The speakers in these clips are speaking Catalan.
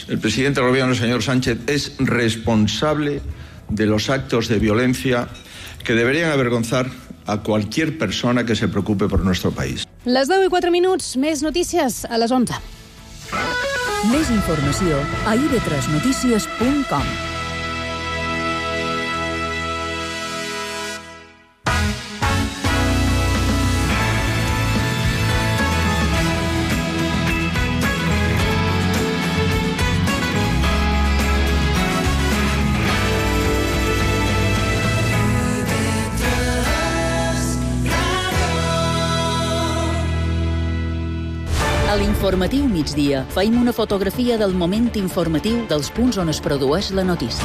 El presidente del gobierno, el señor Sánchez, es responsable de los actos de violencia que deberían avergonzar a cualquier persona que se preocupe por nuestro país. Les 10:04, més notícies a les 11. Més informació a ib3notícies.com. A l'informatiu migdia feim una fotografia del moment informatiu dels punts on es produeix la notícia.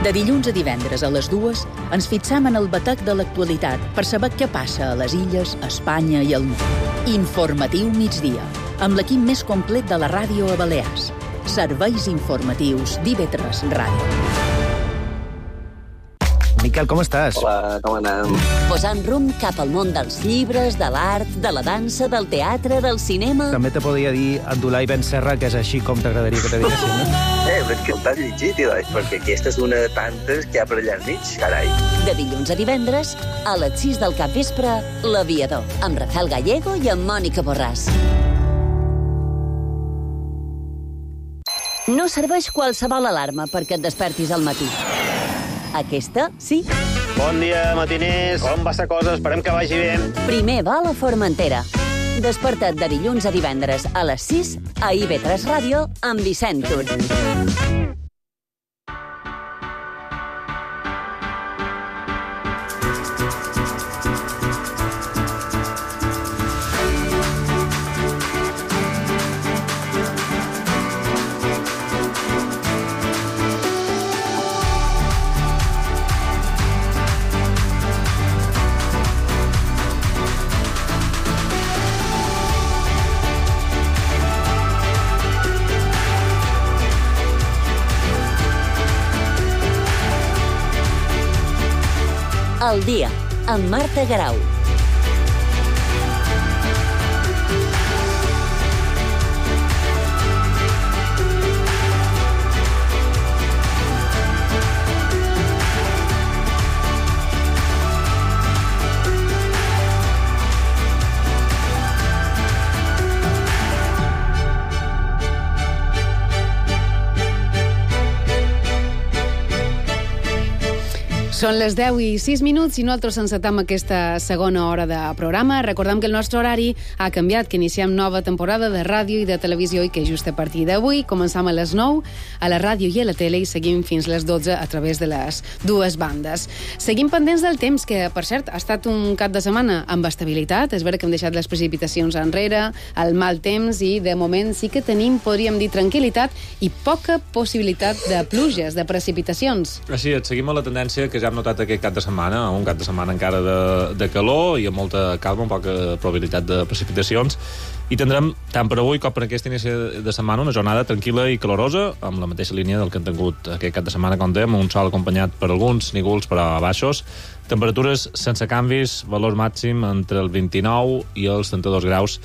De dilluns a divendres a les 2 ens fixam en el batec de l'actualitat per saber què passa a les illes, a Espanya i al món. Informatiu migdia, amb l'equip més complet de la ràdio a Balears. Serveis informatius d'IV3 Ràdio. Miquel, com estàs? Hola, com anem? Posant rumb cap al món dels llibres, de l'art, de la dansa, del teatre, del cinema... També te podria dir Abdullah Ben Serra, que és així com t'agradaria que te diguessin, no? Però és que el t'has llegit, perquè aquesta és una de tantes que hi ha per allà enmig, carai. De dilluns a divendres, a les 6 del capvespre, L'Aviador, amb Rafael Gallego i amb Mònica Borràs. No serveix qualsevol alarma perquè et despertis al matí. Aquesta, sí. Bon dia, matiners. Com va la cosa? Esperem que vagi bé. Primer vol a Formentera. Desperta't de dilluns a divendres a les 6 a IB3 Ràdio amb Vicent Tur. El dia, amb Marta Garau. Són les 10:06 i nosaltres encetam aquesta segona hora de programa. Recordem que el nostre horari ha canviat, que iniciem nova temporada de ràdio i de televisió i que just a partir d'avui començam a les 9 a la ràdio i a la tele i seguim fins les 12 a través de les dues bandes. Seguim pendents del temps, que per cert ha estat un cap de setmana amb estabilitat. És vera que hem deixat les precipitacions enrere, el mal temps, i de moment sí que tenim, podríem dir, tranquil·litat i poca possibilitat de pluges, de precipitacions. Així és, seguim la tendència que ja hem notat aquest cap de setmana, un cap de setmana encara de calor i amb molta calma, amb poca probabilitat de precipitacions, i tindrem, tant per avui com per aquest inici de setmana, una jornada tranquil·la i calorosa, amb la mateixa línia del que hem tingut aquest cap de setmana, com dèiem, un sol acompanyat per alguns nígols, però a baixos, temperatures sense canvis, valor màxim entre el 29 i els 32 graus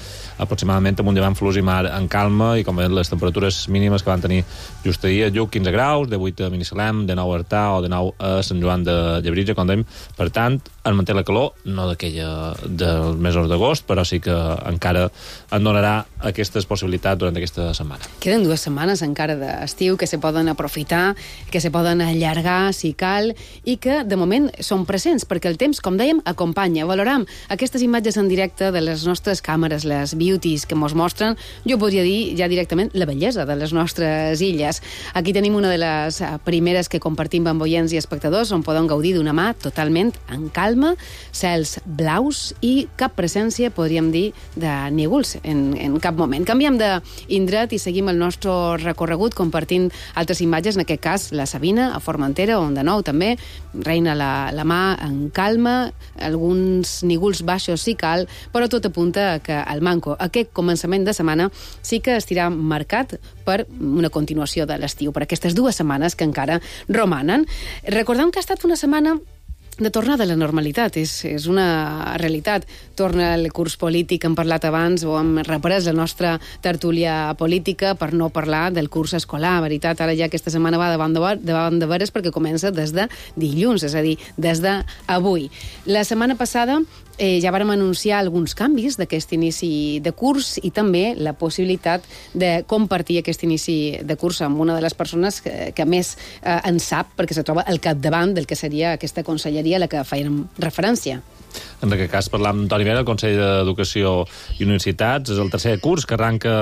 aproximadament, amb un llevant fluix i mar en calma, i com veiem les temperatures mínimes que van tenir just ahir a Lluc, 15 graus, de 8 a Binissalem, de 9 a Artà o de 9 a Sant Joan de Llebritja, com dèiem. Per tant, es manté la calor, no d'aquella dels mesos d'agost, però sí que encara en donarà aquestes possibilitats durant aquesta setmana. Queden 2 setmanes encara d'estiu que se poden aprofitar, que se poden allargar si cal, i que de moment són presents, perquè el temps, com dèiem, acompanya. Valoram aquestes imatges en directe de les nostres càmeres, les beauties que ens mostren, jo podria dir ja directament la bellesa de les nostres illes. Aquí tenim una de les primeres que compartim amb oients i espectadors, on poden gaudir d'una mà totalment en calma, cels blaus i cap presència, podríem dir, de nígols en cap moment. Canviem d'indret i seguim el nostre recorregut compartint altres imatges, en aquest cas la Sabina, a Formentera, on de nou també reina la mà en calma, alguns nígols baixos si cal, però tot apunta que el manco, aquest començament de setmana, sí que estirà marcat per una continuació de l'estiu, per aquestes 2 setmanes que encara romanen. Recordem que ha estat una setmana de tornar de la normalitat, és una realitat. Torna el curs polític, hem parlat abans, o hem reprès la nostra tertúlia política per no parlar del curs escolar. La veritat, ara ja aquesta setmana va davant de veres perquè comença des de dilluns, és a dir, des d'avui. La setmana passada ja vàrem anunciar alguns canvis d'aquest inici de curs i també la possibilitat de compartir aquest inici de curs amb una de les persones que més en sap, perquè se troba al capdavant del que seria aquesta conselleria a la que fèiem referència. En aquest cas parlam d'Antoni Vera, el Consell d'Educació i Universitats. És el tercer curs que arranca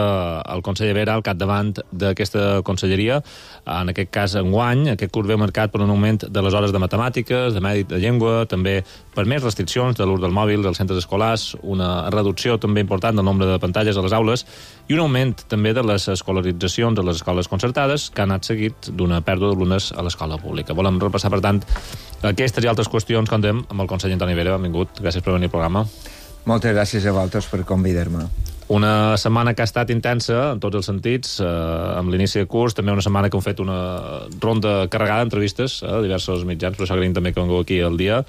el conseller Vera al capdavant d'aquesta conselleria. En aquest cas, enguany, aquest curs ve marcat per un augment de les hores de matemàtiques, de mèdic, de llengua, també per més restriccions de l'ús del mòbil dels centres escolars, una reducció també important del nombre de pantalles a les aules i un augment també de les escolaritzacions a les escoles concertades, que han anat seguit d'una pèrdua d'alumnes a l'escola pública. Volem repassar, per tant, aquestes i altres qüestions que contem amb el conseller Antoni Vera. Benvingut, gràcies per venir al programa. Moltes gràcies a vosaltres per convidar-me. Una setmana que ha estat intensa en tots els sentits, amb l'inici de curs, també una setmana que hem fet una ronda carregada d'entrevistes a diversos mitjans, per això agraïm també que vengu aquí al dia.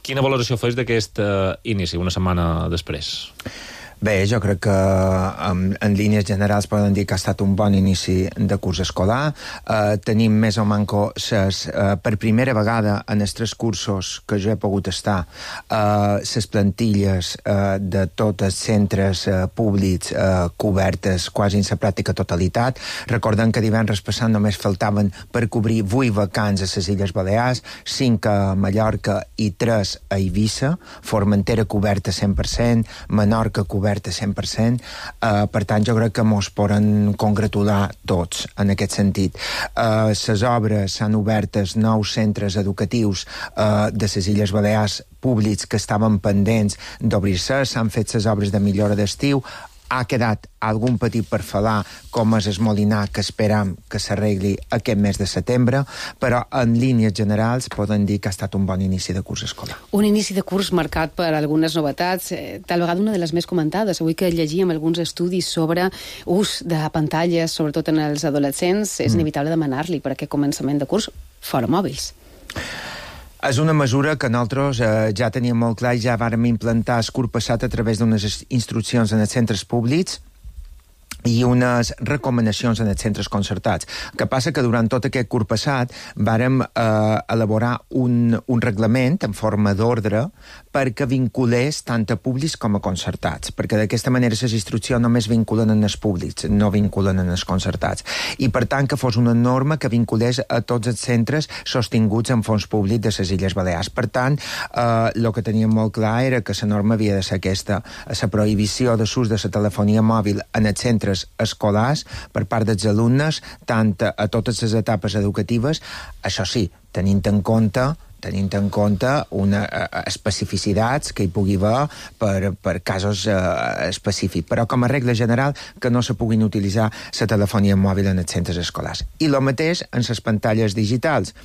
Quina valoració fes d'aquest inici, una setmana després? Bé, jo crec que en línies generals poden dir que ha estat un bon inici de curs escolar. Tenim més o manco per primera vegada en els 3 cursos que jo he pogut estar les plantilles de tots els centres públics cobertes quasi en la pràctica totalitat. Recordem que divendres passat només faltaven per cobrir 8 vacants a les Illes Balears, 5 a Mallorca i 3 a Eivissa, Formentera coberta 100%, Menorca coberta 100%, per tant jo crec que mos poden congratular tots en aquest sentit. Les obres s'han obert als 9 centres educatius de les Illes Balears públics que estaven pendents d'obrir-se, s'han fet les obres de millora d'estiu, ha quedat algun petit parfalà com és el Molinar, que esperam que s'arregli aquest mes de setembre, però en línies generals poden dir que ha estat un bon inici de curs escolar. Un inici de curs marcat per algunes novetats, tal vegada una de les més comentades. Avui que llegíem alguns estudis sobre ús de pantalles, sobretot en els adolescents, és inevitable demanar-li per aquest començament de curs fora mòbils. És una mesura que nosaltres ja teníem molt clar i ja vàrem implantar el curs passat a través d'unes instruccions en els centres públics i unes recomanacions en els centres concertats. El que passa que durant tot aquest curs passat vàrem elaborar un reglament en forma d'ordre perquè vinculés tant a públics com a concertats, perquè d'aquesta manera les instruccions només vinculen en els públics, no vinculen en els concertats. I per tant que fos una norma que vinculés a tots els centres sostinguts en fons públic de les Illes Balears. Per tant, el que teníem molt clar era que la norma havia de ser aquesta, la prohibició de l'ús de la telefonia mòbil en els centres escolars per part dels alumnes, tant a totes les etapes educatives, això sí, tenint en compte unes especificitats que hi pugui haver per casos específics, però com a regla general que no se puguin utilitzar la telefonia mòbil en els centres escolars. I el mateix en les pantalles digitals.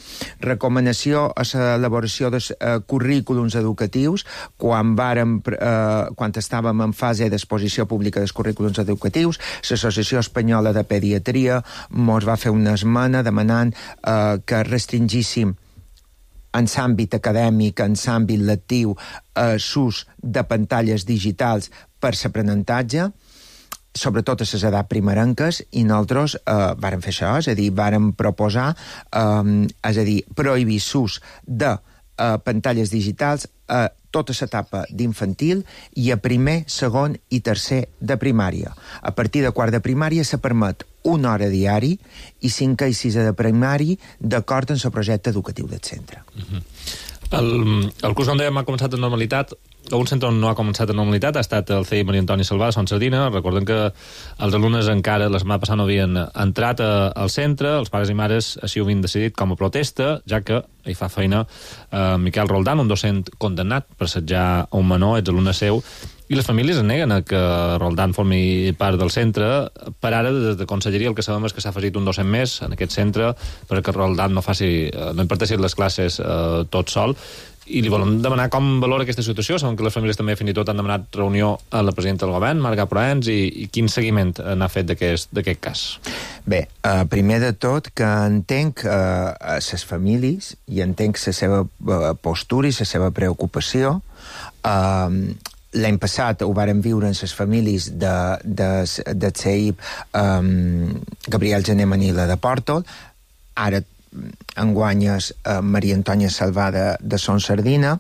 Recomanació a l'elaboració de currículums educatius quan estàvem en fase d'exposició pública dels currículums educatius. L'Associació Espanyola de Pediatria mos va fer una esmena demanant que restringíssim en l'àmbit acadèmic, en l'àmbit lectiu, l'ús de pantalles digitals per l'aprenentatge, sobretot a les edats primerenques, i nosaltres vàrem fer això, és a dir, vàrem proposar, prohibir l'ús de pantalles digitals a tota l'etapa d'infantil i a primer, segon i tercer de primària. A partir de quart de primària se permet 1 hora diari i 5 i 6 de primari d'acord amb el projecte educatiu del centre. El curs, com dèiem, ha començat en normalitat. Un centre on no ha començat en normalitat ha estat el CEI Maria Antònia Salvà, a Son Sardina. Recordem que els alumnes encara la setmana passada no havien entrat al centre, els pares i mares així ho havien decidit com a protesta, ja que hi fa feina Miquel Roldán, un docent condemnat per assetjar un menor, exalumne seu, i les famílies es neguen a que Roldán formi part del centre. Per ara, des de Conselleria, el que sabem és que s'ha afegit un docent més en aquest centre perquè Roldán no imparteixi les classes tot sol. I li volem demanar com valora aquesta situació. Sabem que les famílies també fins i tot han demanat reunió a la presidenta del govern, Marga Proens, i quin seguiment n'ha fet d'aquest cas? Bé, primer de tot que entenc les famílies i entenc la seva postura i la seva preocupació. L'any passat ho varen viure en les famílies de CEIP Gabriel Gené Manila de Pòrtol, ara enguanyes Maria Antònia Salvà de Son Sardina,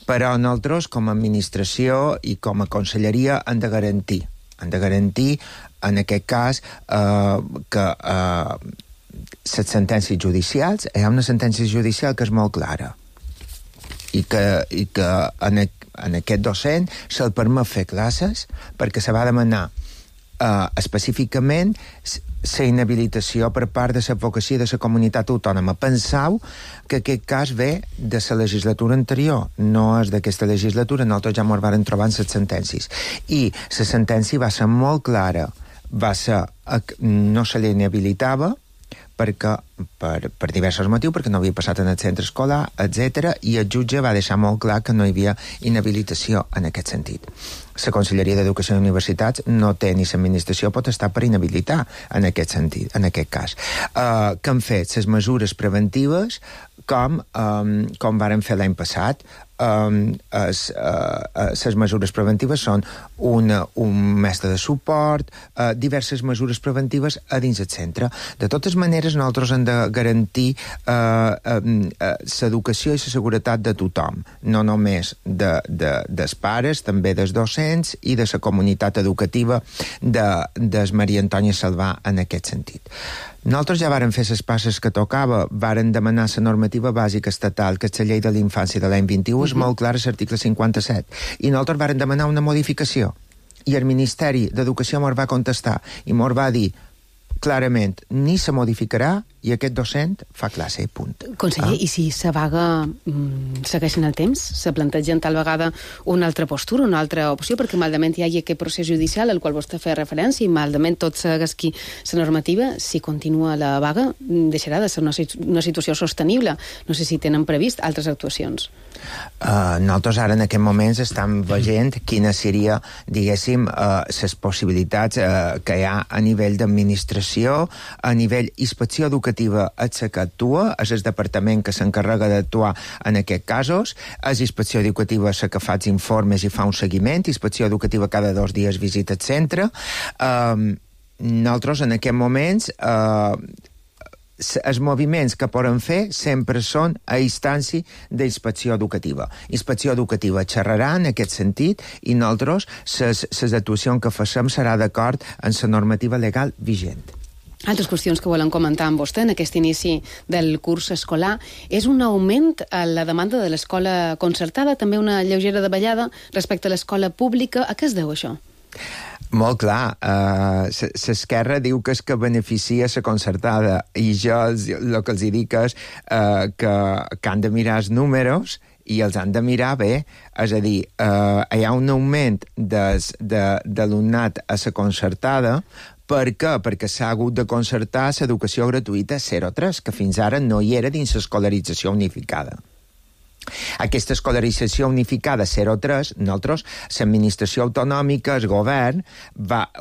però nosaltres com a administració i com a conselleria hem de garantir en aquest cas que les sentències judicials, hi ha una sentència judicial que és molt clara i que en aquest docent se'l permet fer classes perquè se va demanar específicament la inhabilitació per part de l'advocacia de la comunitat autònoma. Penseu que aquest cas ve de la legislatura anterior, no és d'aquesta legislatura, nosaltres ja ens vam trobar en les sentències. I la sentència va ser molt clara, no se li inhabilitava perquè, per diversos motius, perquè no havia passat en el centre escolar, etc. I el jutge va deixar molt clar que no hi havia inhabilitació en aquest sentit. La Conselleria d'Educació i Universitats no té ni l'administració potestat per inhabilitar en aquest sentit, en aquest cas. Que han fet les mesures preventives com varen fer l'any passat. Les mesures preventives són un mestre de suport, diverses mesures preventives a dins el centre. De totes maneres, nosaltres hem de garantir l'educació i la seguretat de tothom, no només dels pares, també dels docents i de la comunitat educativa de Maria Antònia Salvà en aquest sentit. Nosaltres ja vàrem fer les passes que tocava, vàrem demanar la normativa bàsica estatal, que és la llei de l'infància de l'any 21, és molt clara l'article 57, i nosaltres vàrem demanar una modificació, i el Ministeri d'Educació ens va contestar, i ens va dir clarament, ni se modificarà i aquest docent fa classe, punt. Conseller, i si la vaga segueix en el temps? Se plantegen tal vegada una altra postura, una altra opció, perquè maldament hi hagi aquest procés judicial al qual vostè feia referència i maldament tot segueixi la normativa, si continua la vaga, deixarà de ser una situació sostenible. No sé si tenen previst altres actuacions. Nosaltres ara en aquests moments estem veient quines seria, diguéssim, les possibilitats que hi ha a nivell d'administració, a nivell inspecció educativa és la que actua, és el departament que s'encarrega d'actuar en aquests casos, és inspecció educativa la que fa els informes i fa un seguiment, inspecció educativa cada 2 dies visita el centre. Nosaltres en aquests moments els moviments que poden fer sempre són a instància d'inspecció educativa. Inspecció educativa xerrarà en aquest sentit i nosaltres les actuacions que facem serà d'acord amb la normativa legal vigent. Altres qüestions que volem comentar amb vostè en aquest inici del curs escolar és un augment a la demanda de l'escola concertada, també una lleugera davallada respecte a l'escola pública. A què es deu això? Molt clar, l'esquerra diu que és que beneficia la concertada i jo el que els dic és que han de mirar els números i els han de mirar bé, és a dir, hi ha un augment d'alumnat a la concertada. Per què? Perquè s'ha hagut de concertar l'educació gratuïta 0-3, que fins ara no hi era dins l'escolarització unificada. Aquesta escolarització unificada 0-3, nosaltres, l'administració autonòmica, el govern,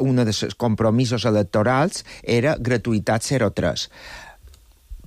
un dels compromisos electorals era gratuïtat 0-3.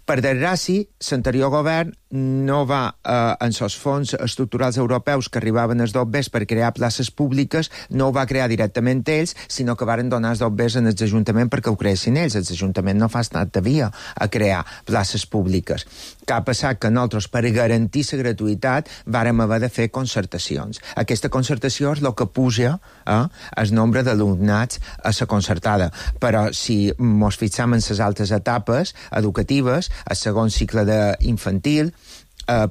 Per desgràcia, l'anterior govern no va, en els fons estructurals europeus que arribaven als DOBs per crear places públiques, no ho va crear directament ells, sinó que varen donar els DOBs als ajuntaments perquè ho creessin ells. Els ajuntaments no fa estat de via a crear places públiques. Que ha passat que nosaltres, per garantir la gratuïtat, vàrem haver de fer concertacions. Aquesta concertació és el que puja el nombre d'alumnats a la concertada. Però si ens fixem en les altres etapes educatives, el segon cicle d'infantil,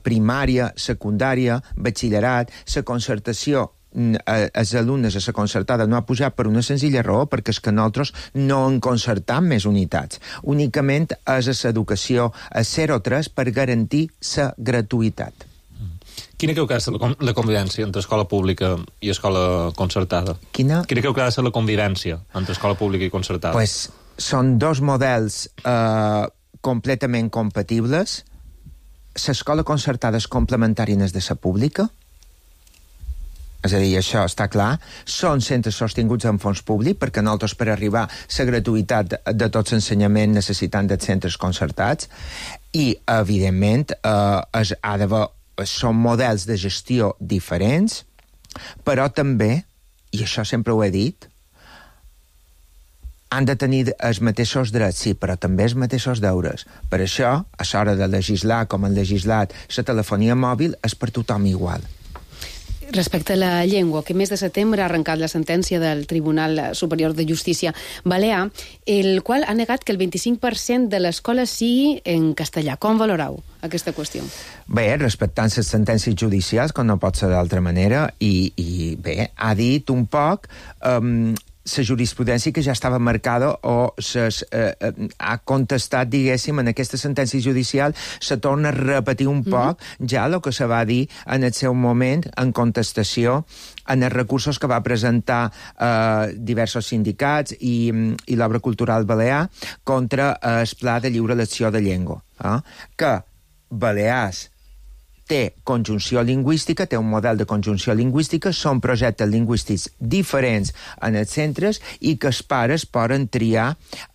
primària, secundària, batxillerat, la concertació, els alumnes a la concertada no ha pujat per una senzilla raó, perquè és que nosaltres no hem concertat més unitats. Únicament és a l'educació a 0-3 per garantir la gratuïtat. Quina creu que ha de ser la convivència entre escola pública i escola concertada? Quina creu que ha de ser la convivència entre escola pública i concertada? Pues són dos models completament compatibles. l'escola concertada és complementària en de la pública, és a dir, això està clar, són centres sostinguts amb fons públic, perquè nosaltres per arribar a la gratuïtat de tots l'ensenyament necessitant de centres concertats, i, evidentment, són models de gestió diferents, però també, i això sempre ho he dit, han de tenir els mateixos drets, sí, però també els mateixos deures. Per això, a l'hora de legislar, com han legislat la telefonia mòbil, és per tothom igual. Respecte a la llengua, que mes de setembre ha arrencat la sentència del Tribunal Superior de Justícia Balear, el qual ha negat que el 25% de l'escola sigui en castellà. Com valoreu aquesta qüestió? Bé, respectant les sentències judicials, com no pot ser d'altra manera, i bé, ha dit un poc la jurisprudència que ja estava marcada o ha contestat, diguéssim, en aquesta sentència judicial, se torna a repetir un poc ja el que se va dir en el seu moment en contestació en els recursos que va presentar diversos sindicats i l'Obra Cultural Balear contra el Pla de Lliure Elecció de Llengua, que Balears té conjunció lingüística, té un model de conjunció lingüística, són projectes lingüístics diferents en els centres i que els pares poden triar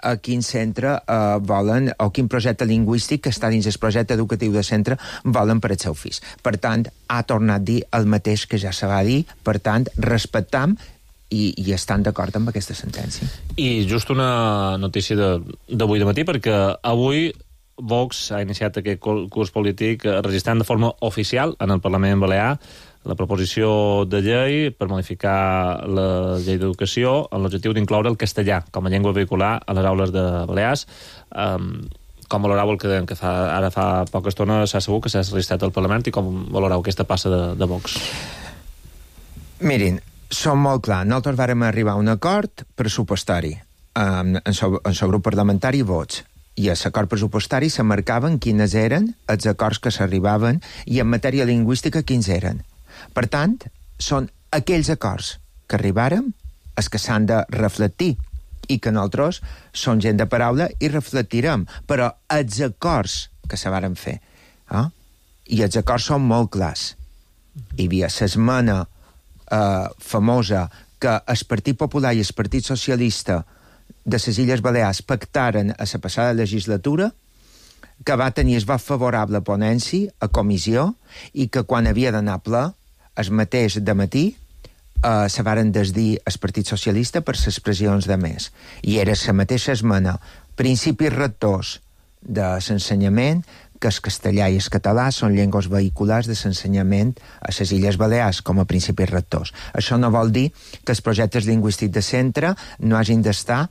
a quin centre volen o quin projecte lingüístic que està dins el projecte educatiu de centre volen per al seu fill. Per tant, ha tornat a dir el mateix que ja se va dir, per tant, respectam i estan d'acord amb aquesta sentència. I just una notícia d'avui de matí, perquè avui Vox ha iniciat aquest curs polític registrant de forma oficial en el Parlament Balear la proposició de llei per modificar la llei d'educació amb l'objectiu d'incloure el castellà com a llengua vehicular a les aules de Balears. Com valoreu el que ara fa poca estona s'ha sabut que s'ha registrat al Parlament i com valoreu aquesta passa de Vox? Mirin, som molt clar. Nosaltres vàrem arribar a un acord pressupostari en el grup parlamentari Vots. I a l'acord pressupostari se marcaven quines eren els acords que s'arribaven i en matèria lingüística quins eren. Per tant, són aquells acords que arribàrem els que s'han de reflectir i que nosaltres som gent de paraula i reflectirem. Però els acords que se varen fer, i els acords són molt clars. Hi havia l'esmena famosa que el Partit Popular i el Partit Socialista de les Illes Balears pactaren a la passada legislatura, que va tenir el vot favorable a ponència, a comissió, i que quan havia d'anar a ple, el mateix dematí, se varen desdir el Partit Socialista per les pressions de més. I era la mateixa esmena. Principis rectors de l'ensenyament, que el castellà i el català són llengües vehiculars de l'ensenyament a les Illes Balears com a principis rectors. Això no vol dir que els projectes lingüístics de centre no hagin d'estar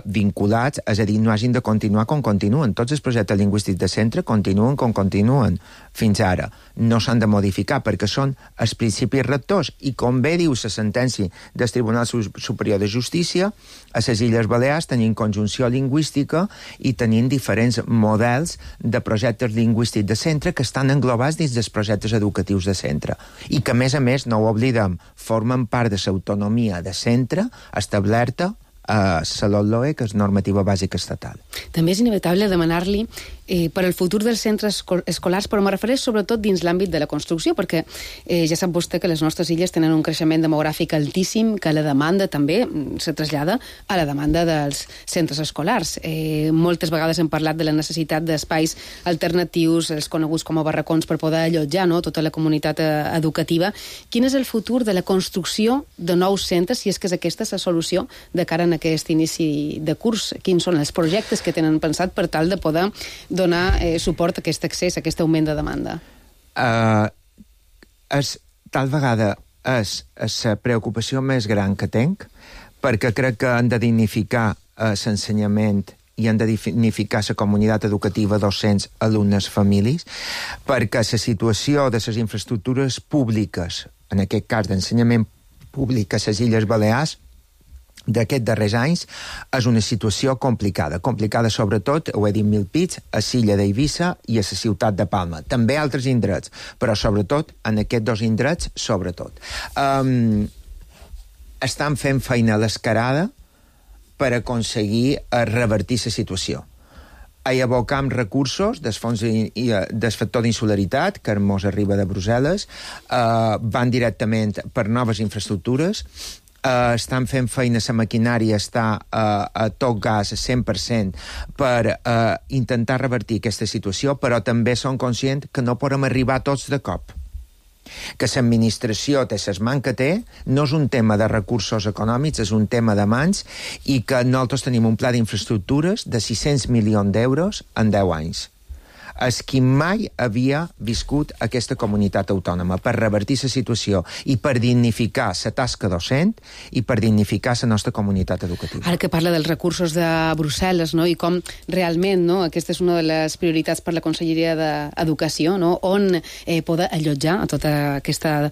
vinculats, és a dir, no hagin de continuar com continuen. Tots els projectes lingüístics de centre continuen com continuen fins ara. No s'han de modificar perquè són els principis rectors i, com bé diu la sentència del Tribunal Superior de Justícia, a les Illes Balears tenim conjunció lingüística i tenim diferents models de projectes lingüístics de centre que estan englobats dins dels projectes educatius de centre i que, a més, no ho oblidem, formen part de l'autonomia de centre establerta a la LOE, que és normativa bàsica estatal. També és inevitable demanar-li per al futur dels centres escolars, però me refereix sobretot dins l'àmbit de la construcció, perquè ja sap vostè que les nostres illes tenen un creixement demogràfic altíssim, que la demanda també se trasllada a la demanda dels centres escolars. Moltes vegades hem parlat de la necessitat d'espais alternatius, els coneguts com a barracons, per poder allotjar tota la comunitat educativa. Quin és el futur de la construcció de nous centres, si és que és aquesta la solució de cara a aquest inici de curs? Quins són els projectes que tenen pensat per tal de poder donar suport a aquest accés, a aquest augment de demanda? Tal vegada és la preocupació més gran que tenc, perquè crec que han de dignificar l'ensenyament i han de dignificar la comunitat educativa, docents, alumnes, famílies, perquè la situació de les infraestructures públiques, en aquest cas d'ensenyament públic a les Illes Balears, d'aquests darrers anys, és una situació complicada. Complicada sobretot, ho he dit mil pits, a l'illa d'Eivissa i a la ciutat de Palma. També altres indrets, però sobretot en aquests dos indrets, sobretot. Estan fent feina a l'escarada per aconseguir revertir la situació. hi abocam recursos del fons del factor d'insularitat, que mos arriba de Brussel·les, van directament per noves infraestructures, estan fent feina, la maquinària està a tot gas, 100%, per intentar revertir aquesta situació, però també som conscients que no podem arribar tots de cop. Que l'administració té les mans que té, no és un tema de recursos econòmics, és un tema de mans, i que nosaltres tenim un pla d'infraestructures de 600 milions d'euros en 10 anys. És qui mai havia viscut aquesta comunitat autònoma per revertir la situació i per dignificar la tasca docent i per dignificar la nostra comunitat educativa. Ara que parla dels recursos de Brussel·les, no? I com realment, no? Aquesta és una de les prioritats per la Conselleria d'Educació, no? On poder allotjar a tota aquesta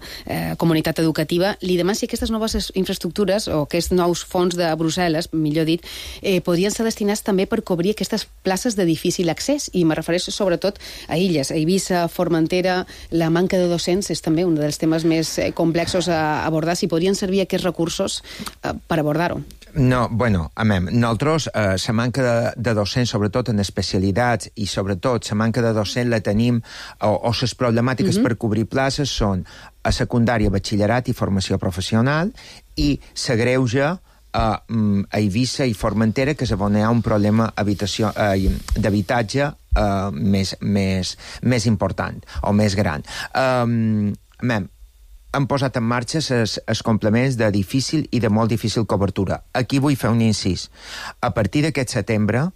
comunitat educativa. Li demano si aquestes noves infraestructures o aquests nous fons de Brussel·les, millor dit, podrien ser destinats també per cobrir aquestes places de difícil accés, i me refereixo sobretot a illes, a Eivissa, Formentera. La manca de docents és també un dels temes més complexos a abordar. Si podrien servir aquests recursos per abordar-ho. No, bueno, nosaltres la manca de docents, sobretot en especialitats, i sobretot la manca de docents la tenim, o les problemàtiques per cobrir places són a secundària, batxillerat i formació professional, i s'agreuja a Eivissa i Formentera, que és on hi ha un problema d'habitatge més important o més gran. Han posat en marxa els complements de difícil i de molt difícil cobertura. Aquí vull fer un incís. A partir d'aquest setembre,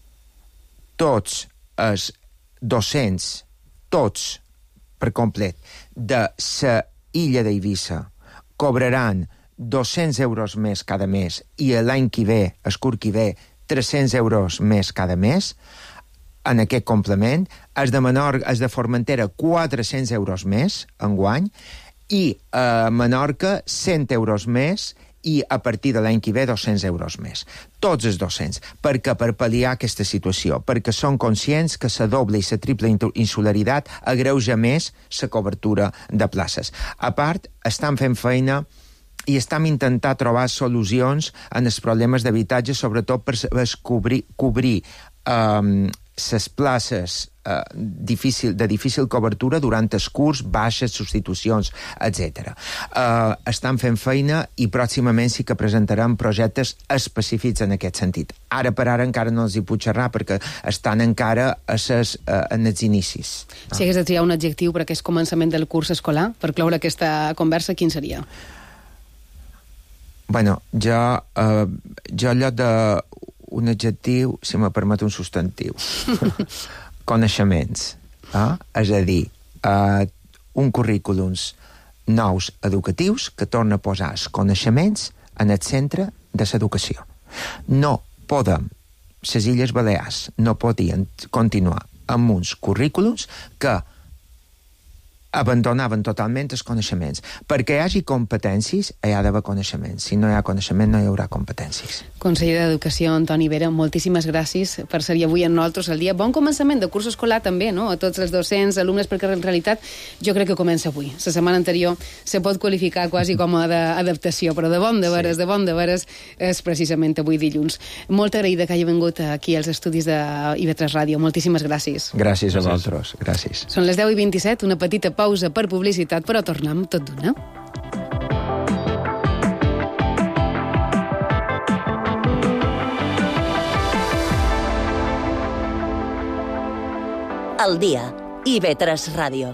tots els docents, tots per complet, de la illa d'Eivissa cobraran 200 euros més cada mes, i l'any que ve, el curs que ve, 300 euros més cada mes en aquest complement. Els de Formentera, 400 euros més enguany, i a Menorca 100 euros més, i a partir de l'any que ve 200 euros més. Tots els docents, perquè per pal·liar aquesta situació, perquè són conscients que la doble i la triple insularitat agreuja més la cobertura de places. A part, estan fent feina i estem intentant trobar solucions en els problemes d'habitatge, sobretot per cobrir les places de difícil cobertura durant el curs, baixes, substitucions, etc. Estan fent feina i pròximament sí que presentarem projectes específics en aquest sentit. Ara per ara encara no els hi puc xerrar perquè estan encara en els inicis. Si hagués de triar un adjectiu per aquest començament del curs escolar, per cloure aquesta conversa, quin seria? Bueno, jo al lloc d'un adjectiu, si me permet un substantiu. Coneixements. És a dir, un currículums nous educatius que torna a posar els coneixements en el centre de l'educació. No podem, les Illes Balears no podien continuar amb uns currículums que abandonaven totalment els coneixements. Perquè hi hagi competències, hi ha d'haver coneixements. Si no hi ha coneixement, no hi haurà competències. Conseller d'Educació, Antoni Vera, moltíssimes gràcies per ser avui amb nosaltres al dia. Bon començament de curs escolar també, no?, a tots els docents, alumnes, perquè en realitat jo crec que comença avui. La setmana anterior se pot qualificar quasi com a d'adaptació, però de bon de veres és precisament avui dilluns. Molt agraïda que hagi vingut aquí als estudis de IB3 Ràdio. Moltíssimes gràcies. Gràcies a vosaltres. Gràcies. Són les 10:27, una petita pausa per publicitat, però tornem tot d'una. Al dia, IB3 Ràdio.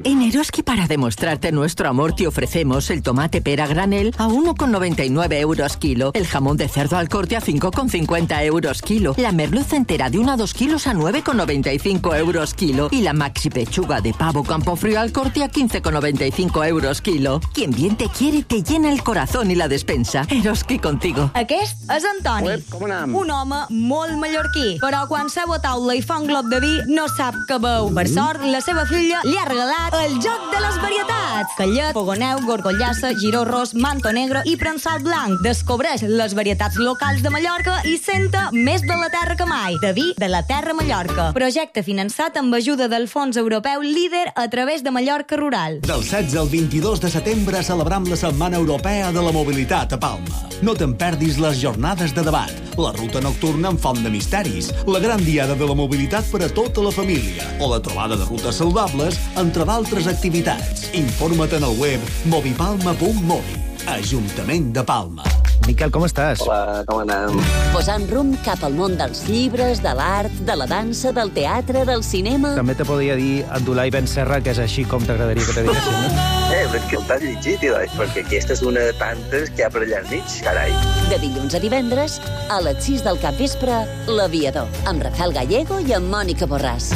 En Eroski, para demostrarte nuestro amor, te ofrecemos el tomate pera granel a 1,99 euros kilo, el jamón de cerdo al corte a 5,50 euros kilo, la merluza entera de 1 a 2 kilos a 9,95 euros kilo y la maxi pechuga de pavo Campofrío al corte a 15,95 euros kilo. Quien bien te quiere te llena el corazón y la despensa. Eroski contigo. Aquest és Antoni, un home molt mallorquí, però quan seu a taula i fa un glop de vi no sap què beu. Per sort, la seva filla li ha regalat arribat el joc de les varietats. Callet, fogoneu, gorgollassa, giró ros, manto negre i prensat blanc. Descobreix les varietats locals de Mallorca i senta més de la terra que mai. De vi de la terra Mallorca. Projecte finançat amb ajuda del Fons Europeu Líder a través de Mallorca Rural. Del 16 al 22 de setembre celebram la Setmana Europea de la Mobilitat a Palma. No te'n perdis les jornades de debat, la ruta nocturna amb font de misteris, la gran diada de la mobilitat per a tota la família o la trobada de rutes saludables, entre d'altres activitats. Informa't en el web movipalma.mobi. Ajuntament de Palma. Miquel, com estàs? Hola, com anem? Posant rumb cap al món dels llibres, de l'art, de la dansa, del teatre, del cinema... També te podria dir Abdulai Ben Serra, que és així com t'agradaria que te diguessin, no? És que t'has llegit, perquè aquesta és una de tantes que hi ha per allà enmig, carai. De dilluns a divendres, a les 6 del capvespre, L'Aviador, amb Rafael Gallego i amb Mònica Borràs.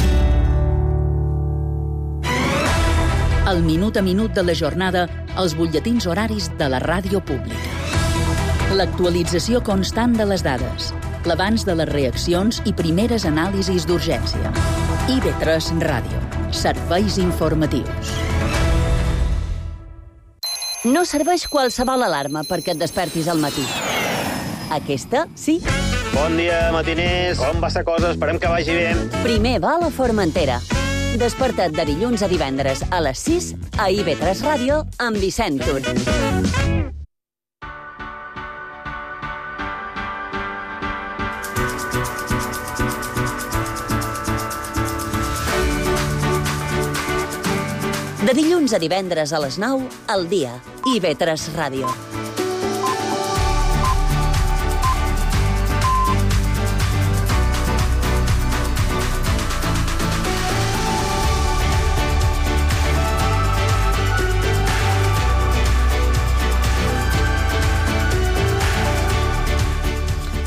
El minut a minut de la jornada, els butlletins horaris de la ràdio pública. L'actualització constant de les dades, l'abans de les reaccions i primeres anàlisis d'urgència. IB3 Ràdio. Serveis informatius. No serveix qualsevol alarma perquè et despertis al matí. Aquesta, sí. Bon dia, matiners. Com va la cosa? Esperem que vagi bé. Primer va a la Formentera. Desperta't de dilluns a divendres a les 6 a IB3 Ràdio amb Vicent Tur. De dilluns a divendres a les 9, al dia, IB3 Ràdio.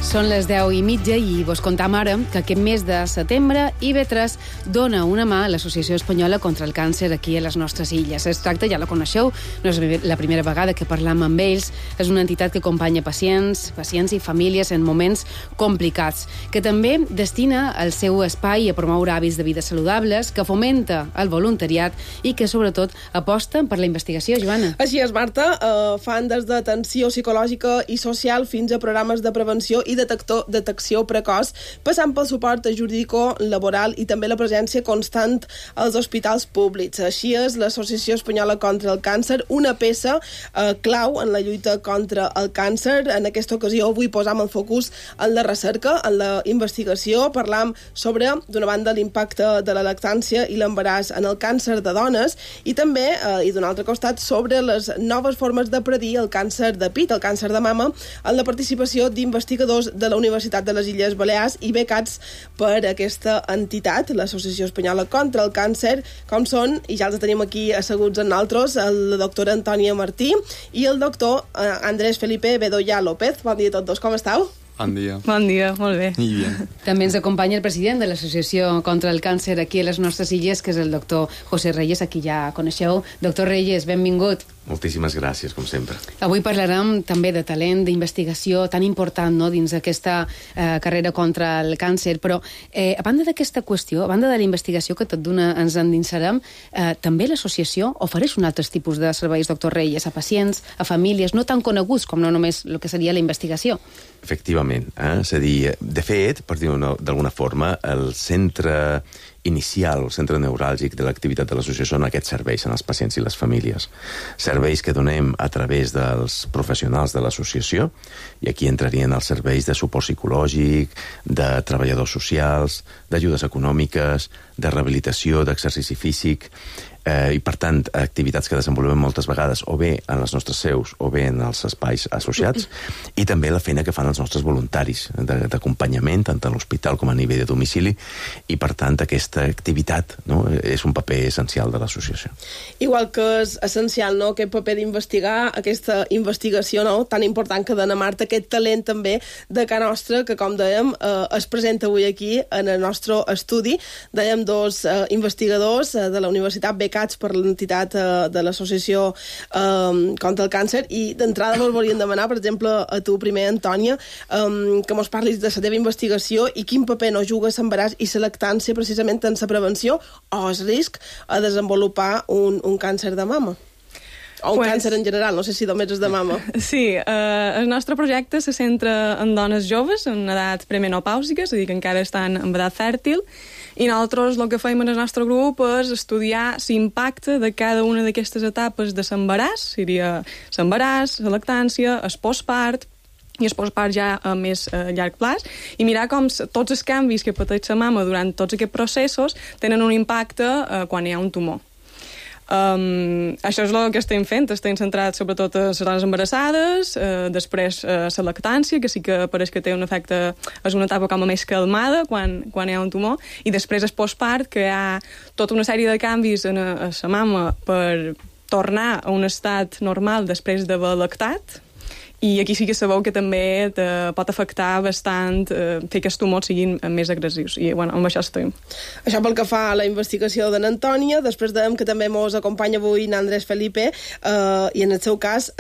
Són les 10:30 i vos contam ara que aquest mes de setembre IB3 dona una mà a l'Associació Espanyola contra el Càncer aquí a les nostres illes. Es tracta, ja la coneixeu, no és la primera vegada que parlam amb ells. És una entitat que acompanya pacients i famílies en moments complicats, que també destina el seu espai a promoure hàbits de vida saludables, que fomenta el voluntariat i que, sobretot, aposta per la investigació, Joana. Així és, Marta. Fan des d'atenció psicològica i social fins a programes de prevenció i detecció precoç, passant pel suport jurídico-laboral i també la presència constant als hospitals públics. Així és l'Associació Espanyola contra el Càncer, una peça clau en la lluita contra el càncer. En aquesta ocasió avui posam el focus en la recerca, en la investigació. Parlam sobre, d'una banda, l'impacte de la lactància i l'embaràs en el càncer de dones i també, i d'un altre costat, sobre les noves formes de predir el càncer de pit, el càncer de mama, en la participació d'investigadors de la Universitat de les Illes Balears i becats per aquesta entitat, l'Associació Espanyola contra el Càncer, com són, i ja els tenim aquí asseguts en nosaltres, la doctora Antònia Martí i el doctor Andrés Felipe Bedoya López. Bon dia a tots dos, com esteu? Bon dia. Bon dia, molt bé. I bien. També ens acompanya el president de l'Associació contra el Càncer aquí a les nostres illes, que és el doctor José Reyes, a qui ja coneixeu. Doctor Reyes, benvingut. Moltíssimes gràcies, com sempre. Avui parlarem també de talent, d'investigació tan important, no?, dins d'aquesta carrera contra el càncer, però a banda d'aquesta qüestió, a banda de la investigació que tot d'una ens endinsarem, també l'associació ofereix un altre tipus de serveis, doctor Reyes, a pacients, a famílies no tan coneguts com no només el que seria la investigació. Efectivament. És a dir, de fet, per dir-ho d'alguna forma, el centre inicial, el centre neuràlgic de l'activitat de l'associació són aquests serveis en els pacients i les famílies. Serveis que donem a través dels professionals de l'associació, i aquí entrarien els serveis de suport psicològic, de treballadors socials, d'ajudes econòmiques, de rehabilitació, d'exercici físic, i, per tant, activitats que desenvolupem moltes vegades o bé en les nostres seus o bé en els espais associats, i també la feina que fan els nostres voluntaris d'acompanyament, tant a l'hospital com a nivell de domicili, i, per tant, aquesta activitat, no?, és un paper essencial de l'associació. Igual que és essencial, no?, aquest paper d'investigar, aquesta investigació, no?, tan important que dona Marta, aquest talent també de cara nostra, que, com dèiem, es presenta avui aquí en el nostre estudi. Dèiem dos investigadors de la Universitat becats becats per l'entitat de l'associació contra el càncer, i d'entrada mos volien demanar, per exemple, a tu primer, Antònia, que mos parlis de la teva investigació i quin paper no juga l'embaràs i la lactància precisament en la prevenció o el risc a desenvolupar un càncer de mama. O un càncer en general, no sé si només és de mama. Sí, el nostre projecte se centra en dones joves, en edat premenopàusica, és a dir, que encara estan en edat fèrtil, i nosaltres el que fem en el nostre grup és estudiar l'impacte de cada una d'aquestes etapes de l'embaràs, seria l'embaràs, la lactància, el postpart, i el postpart ja a més llarg plaç, i mirar com tots els canvis que pateix la mama durant tots aquests processos tenen un impacte quan hi ha un tumor. Això és el que estem fent, estem centrats sobretot a les dones embarassades, després la lactància, que sí que pareix que té un efecte, és una etapa com a més calmada quan hi ha un tumor, i després el postpart, que hi ha tota una sèrie de canvis a la mama per tornar a un estat normal després d'haver lactat, i aquí sí que sabeu que també pot afectar bastant fer que els tumors siguin més agressius, i bueno, amb això estem. Això pel que fa a la investigació de n'Antònia. Després dèiem que també mos acompanya avui n'Andrés Felipe, i en el seu cas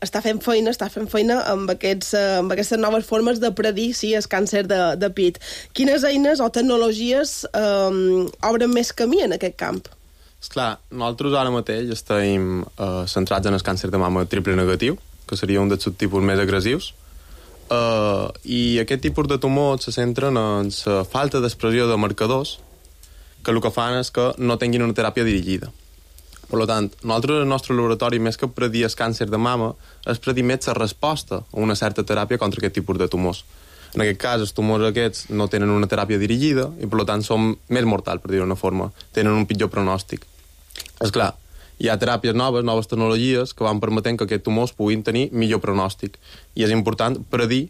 està fent feina amb aquestes noves formes de predir el càncer de pit. Quines eines o tecnologies obren més camí en aquest camp? Esclar, nosaltres ara mateix estem centrats en el càncer de mama triple negatiu, que seria un dels subtipus més agressius, i aquest tipus de tumors se centren en la falta d'expressió de marcadors que el que fan és que no tinguin una teràpia dirigida. Per tant, nosaltres al nostre laboratori, més que predir el càncer de mama, és predir més la resposta a una certa teràpia contra aquest tipus de tumors. En aquest cas, els tumors aquests no tenen una teràpia dirigida i, per tant, són més mortals, per dir-ho d'una forma. Tenen un pitjor pronòstic. Esclar, hi ha teràpies noves tecnologies que van permetent que aquests tumors puguin tenir millor pronòstic. I és important predir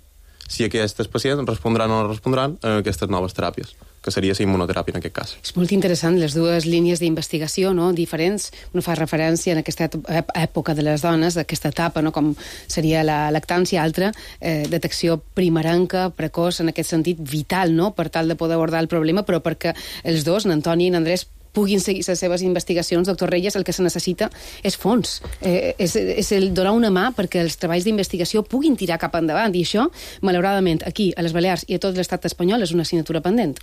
si aquests pacients respondran o no respondran a aquestes noves teràpies, que seria la immunoteràpia en aquest cas. És molt interessant, les dues línies d'investigació, no?, diferents. Una fa referència en aquesta època de les dones, d'aquesta etapa, no?, com seria la lactància, altra, detecció primerenca, precoç, en aquest sentit vital, no?, per tal de poder abordar el problema, però perquè els dos, n'Antoni i n'Andrés, puguin seguir les seves investigacions. Doctor Reyes, el que se necessita és fons, és el donar una mà perquè els treballs d'investigació puguin tirar cap endavant, i això, malauradament, aquí, a les Balears i a tot l'estat espanyol, és una assignatura pendent.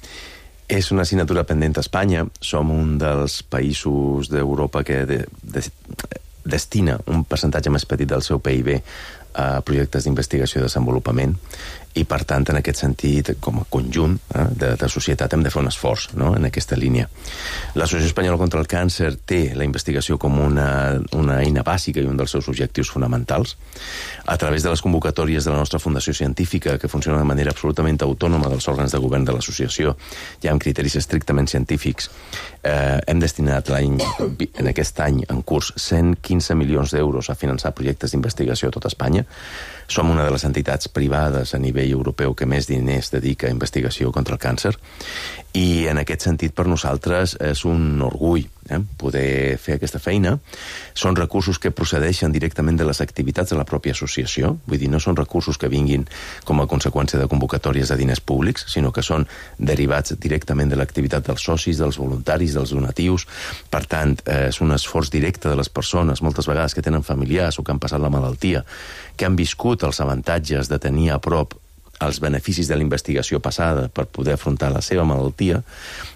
És una assignatura pendent a Espanya. Som un dels països d'Europa que destina un percentatge més petit del seu PIB a projectes d'investigació i desenvolupament, i per tant, en aquest sentit, com a conjunt de societat, hem de fer un esforç, no?, en aquesta línia. L'Associació Espanyola contra el Càncer té la investigació com una eina bàsica i un dels seus objectius fonamentals. A través de les convocatòries de la nostra Fundació Científica, que funciona de manera absolutament autònoma dels òrgans de govern de l'associació, ja amb criteris estrictament científics, hem destinat en aquest any en curs 115 milions d'euros a finançar projectes d'investigació a tot Espanya. Som una de les entitats privades a nivell europeu que més diners dedica a investigació contra el càncer, i en aquest sentit per nosaltres és un orgull poder fer aquesta feina. Són recursos que procedeixen directament de les activitats de la pròpia associació, vull dir, no són recursos que vinguin com a conseqüència de convocatòries de diners públics, sinó que són derivats directament de l'activitat dels socis, dels voluntaris, dels donatius. Per tant, és un esforç directe de les persones, moltes vegades que tenen familiars o que han passat la malaltia, que han viscut els avantatges de tenir a prop els beneficis de la investigació passada per poder afrontar la seva malaltia,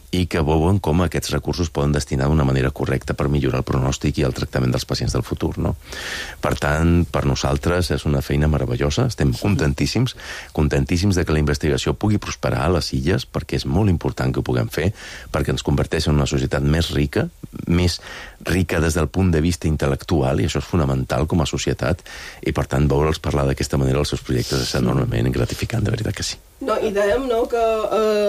i que veuen com aquests recursos poden destinar d'una manera correcta per millorar el pronòstic i el tractament dels pacients del futur, no? Per tant, per nosaltres és una feina meravellosa, estem contentíssims de que la investigació pugui prosperar a les illes, perquè és molt important que ho puguem fer, perquè ens converteix en una societat més rica des del punt de vista intel·lectual, i això és fonamental com a societat, i per tant veure'ls parlar d'aquesta manera els seus projectes és enormement gratificant, de veritat que sí. No, i dèiem, no, que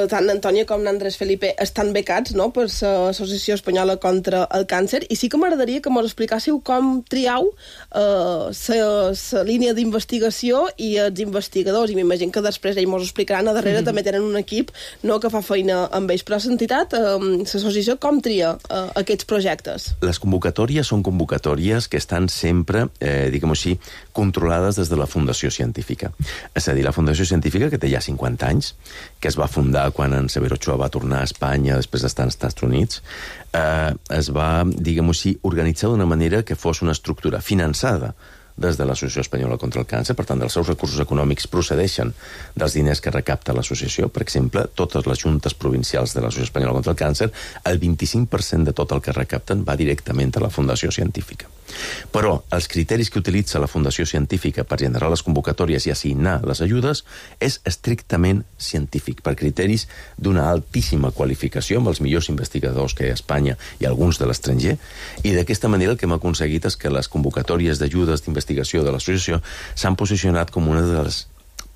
tant n'Antònia com n'Andrés Felipe estan becats, no, per l'Associació Espanyola contra el Càncer, i sí que m'agradaria que mos explicàssiu com triau la línia d'investigació i els investigadors, i m'imagino que després ells mos explicaran, a darrere també tenen un equip, no, que fa feina amb ells, però l'entitat, l'associació, com tria aquests projectes? Les convocatòries són convocatòries que estan sempre, diguem-ho així, controlades des de la Fundació Científica. És a dir, la Fundació Científica, que té ja 50 anys, que es va fundar quan en Severo Ochoa va tornar a Espanya Espanya després d'estar als Estats Units, es va, diguem-ho així, organitzar d'una manera que fos una estructura finançada des de l'Associació Espanyola contra el Càncer. Per tant, els seus recursos econòmics procedeixen dels diners que recapta l'associació. Per exemple, totes les juntes provincials de l'Associació Espanyola contra el Càncer, el 25% de tot el que recapten va directament a la Fundació Científica. Però els criteris que utilitza la Fundació Científica per generar les convocatòries i assignar les ajudes és estrictament científic, per criteris d'una altíssima qualificació, amb els millors investigadors que hi ha a Espanya i alguns de l'estranger, i d'aquesta manera el que hem aconseguit és que les convocatòries d'ajudes d'investigació de l'associació s'han posicionat com una de les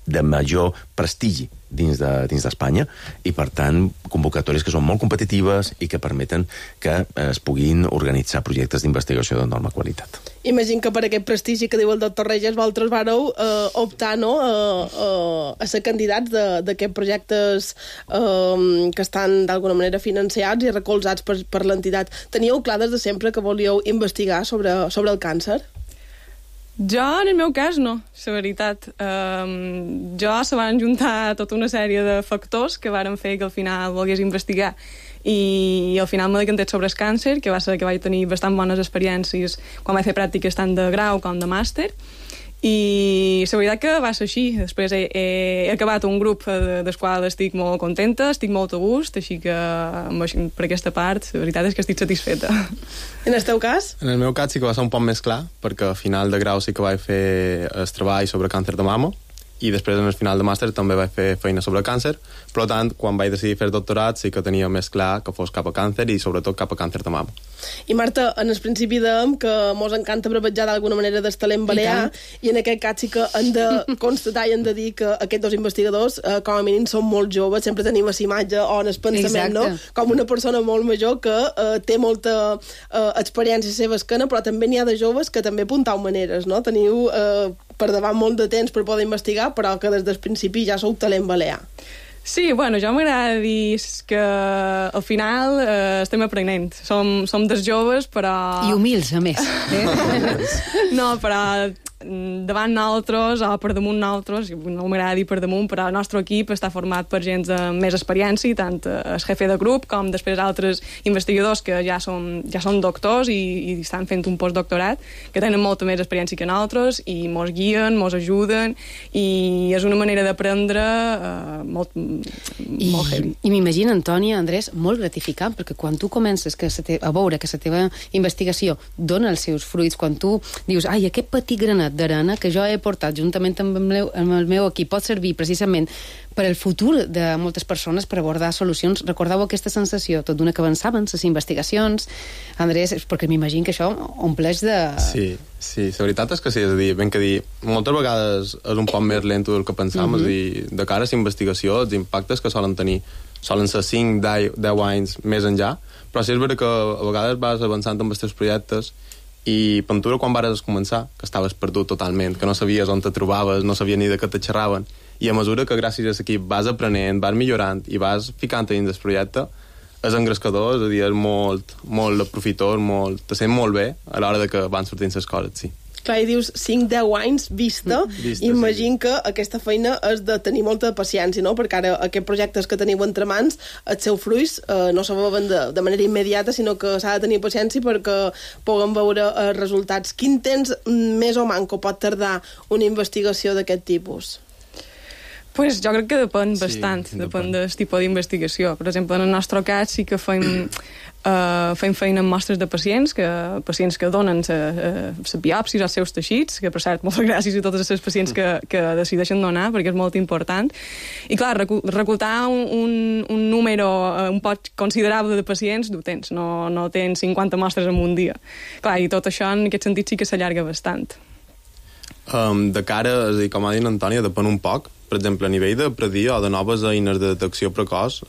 de major prestigi dins d'Espanya, i per tant convocatòries que són molt competitives i que permeten que es puguin organitzar projectes d'investigació d'enorme qualitat. Imagino que per aquest prestigi que diu el doctor Regis, vosaltres vareu optar a ser candidats d'aquests projectes que estan d'alguna manera financiats i recolzats per l'entitat. Teníeu clar des de sempre que volíeu investigar sobre el càncer? Jo, en el meu cas, no, la veritat. Jo se van juntar tota una sèrie de factors que varen fer que al final volgués investigar, i al final m'he decantat sobre el càncer, que va ser que vaig tenir bastant bones experiències quan vaig fer pràctiques tant de grau com de màster, i la veritat que va ser així. Després he acabat un grup del qual estic molt contenta, estic molt a gust, així que per aquesta part la veritat és que estic satisfeta. En el teu cas? En el meu cas sí que va ser un poc més clar, perquè a final de grau sí que vaig fer el treball sobre càncer de mama, i després en el final de màster també vaig fer feina sobre càncer. Per tant, quan vaig decidir fer doctorat sí que tenia més clar que fos cap a càncer, i sobretot cap a càncer de mama. I Marta, en el principi dèiem que mos encanta brevetjar d'alguna manera del talent balear, i en aquest cas sí que hem de constatar i hem de dir que aquests dos investigadors com a mínim són molt joves. Sempre tenim la imatge o en el pensament, no? Com una persona molt major que té molta experiència a la seva esquena, però també n'hi ha de joves que també apuntau maneres, no? Teniu per davant molt de temps per poder investigar, però que des del principi ja sou talent balear. Sí, bueno, jo m'agrada dir que al final estem aprenent. Som dels joves, però... I humils, a més. No, però davant nosaltres o per damunt nosaltres, no m'agrada dir per damunt, però el nostre equip està format per gent amb més experiència, tant el jefe de grup com després altres investigadors que ja són doctors i estan fent un postdoctorat, que tenen molta més experiència que nosaltres i mos guien, mos ajuden, i és una manera d'aprendre molt heavy. I m'imagino, Antònia, Andrés, molt gratificant, perquè quan tu comences a veure que la teva investigació dona els seus fruits, quan tu dius, ai, aquest petit granet d'arena que jo he portat juntament amb el meu equip pot servir precisament per al futur de moltes persones per abordar solucions. Recordeu aquesta sensació tot d'una que avançaven les investigacions, Andrés, perquè m'imagino que això ompleix de... Sí, la veritat és que sí, és a dir, ben que dir, moltes vegades és un poc més lent del que pensam, és a dir, de cara a la investigació, els impactes que solen ser 5-10 anys més enllà, però sí és veritat que a vegades vas avançant amb els teus projectes, i Pentura, quan vares començar, que estaves perdut totalment, que no sabies on te trobaves, no sabies ni de què te xerraven, i a mesura que gràcies a l'equip vas aprenent, vas millorant i vas ficant dins del projecte, és engrescador, és a dir, és molt aprofitós, te sent molt bé a l'hora de que van sortint les coses, sí. Clar, i dius 5-10 anys vista, imagino que aquesta feina és de tenir molta paciència, no? Perquè ara aquests projectes que teniu entre mans, els seus fruits no se veuen de manera immediata, sinó que s'ha de tenir paciència perquè puguem veure els resultats. Quin temps més o manco pot tardar una investigació d'aquest tipus? Pues jo crec que depèn bastant, depèn del tipus d'investigació. Per exemple, en el nostre cas sí que fem feina amb mostres de pacients que donen les biòpsies als seus teixits, que per cert, moltes gràcies a totes les pacients que decideixen donar, perquè és molt important. I clar, reclutar un número un poc considerable de pacients du temps, no tens 50 mostres en un dia. Clar, i tot això en aquest sentit sí que s'allarga bastant. De cara, és a dir, com ha dit Antònia, depèn un poc. Per exemple, a nivell de predir o de noves eines de detecció precoç,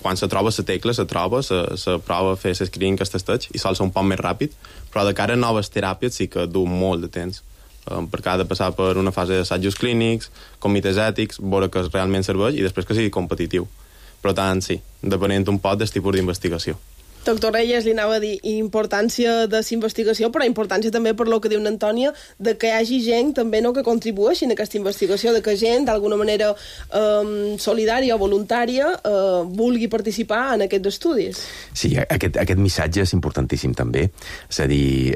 quan se troba la tecla, se prova a fer l'escreening que es testeig i sol ser un poc més ràpid, però de cara a noves teràpies sí que du molt de temps, perquè ha de passar per una fase d'assajos clínics, comitès ètics, veure que realment serveix i després que sigui competitiu. Per tant, sí, depenent un poc del tipus d'investigació. Doctor Reyes, li anava a dir importància de la investigació, però importància també per lo que diu Antònia, de que hi hagi gent també que contribueixi en aquesta investigació, de que gent d'alguna manera solidària o voluntària vulgui participar en aquests estudis. Sí, aquest missatge és importantíssim també. És a dir,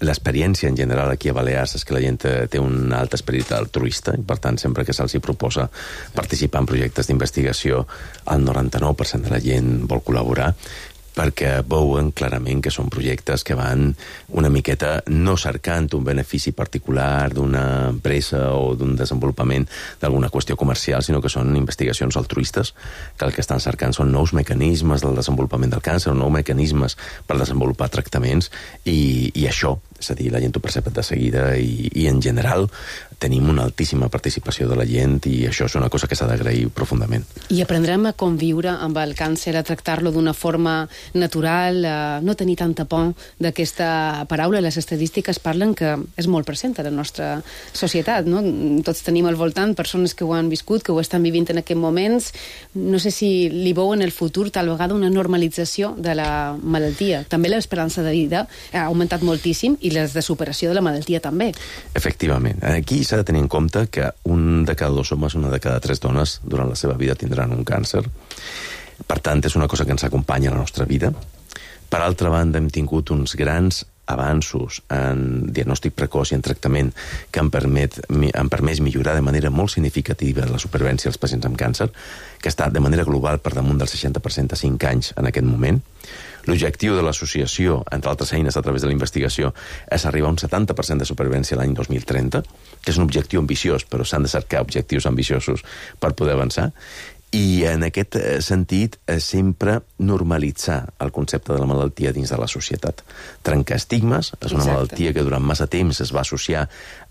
l'experiència en general aquí a Balears és que la gent té un alt esperit altruista i per tant sempre que se'ls proposa participar en projectes d'investigació el 99% de la gent vol col·laborar, perquè veuen clarament que són projectes que van una miqueta no cercant un benefici particular d'una empresa o d'un desenvolupament d'alguna qüestió comercial, sinó que són investigacions altruistes, que el que estan cercant són nous mecanismes del desenvolupament del càncer, nous mecanismes per desenvolupar tractaments, i això, és a dir, la gent ho percep de seguida i en general tenim una altíssima participació de la gent i això és una cosa que s'ha d'agrair profundament. I aprendrem a conviure amb el càncer, a tractar-lo d'una forma natural, no tenir tanta por d'aquesta paraula. Les estadístiques parlen que és molt present a la nostra societat, no? Tots tenim al voltant persones que ho han viscut, que ho estan vivint en aquests moments. No sé si li veu en el futur tal vegada una normalització de la malaltia. També l'esperança de vida ha augmentat moltíssim i les de superació de la malaltia també. Efectivament. Aquí s'ha de tenir en compte que un de cada 2 homes, una de cada 3 dones durant la seva vida tindran un càncer. Per tant, és una cosa que ens acompanya a la nostra vida. Per altra banda, hem tingut uns grans avanços en diagnòstic precoç i en tractament que han permès millorar de manera molt significativa la supervivència dels pacients amb càncer, que està de manera global per damunt del 60% a 5 anys en aquest moment. L'objectiu de l'associació, entre altres eines a través de la investigació, és arribar a un 70% de supervivència l'any 2030, que és un objectiu ambiciós, però s'han de cercar objectius ambiciosos per poder avançar. I en aquest sentit sempre normalitzar el concepte de la malaltia dins de la societat. Trencar estigmes, és una malaltia que durant massa temps es va associar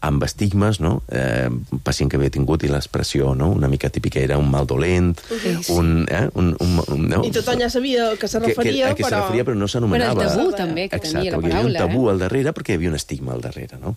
amb estigmes, no? Un pacient que havia tingut i l'expressió, no? Una mica típica era un mal dolent, no? I tothom ja sabia que se referia, que se referia, però no s'anomenava. Però el tabú també que tenia la paraula. Hi havia un tabú al darrere perquè hi havia un estigma al darrere, no?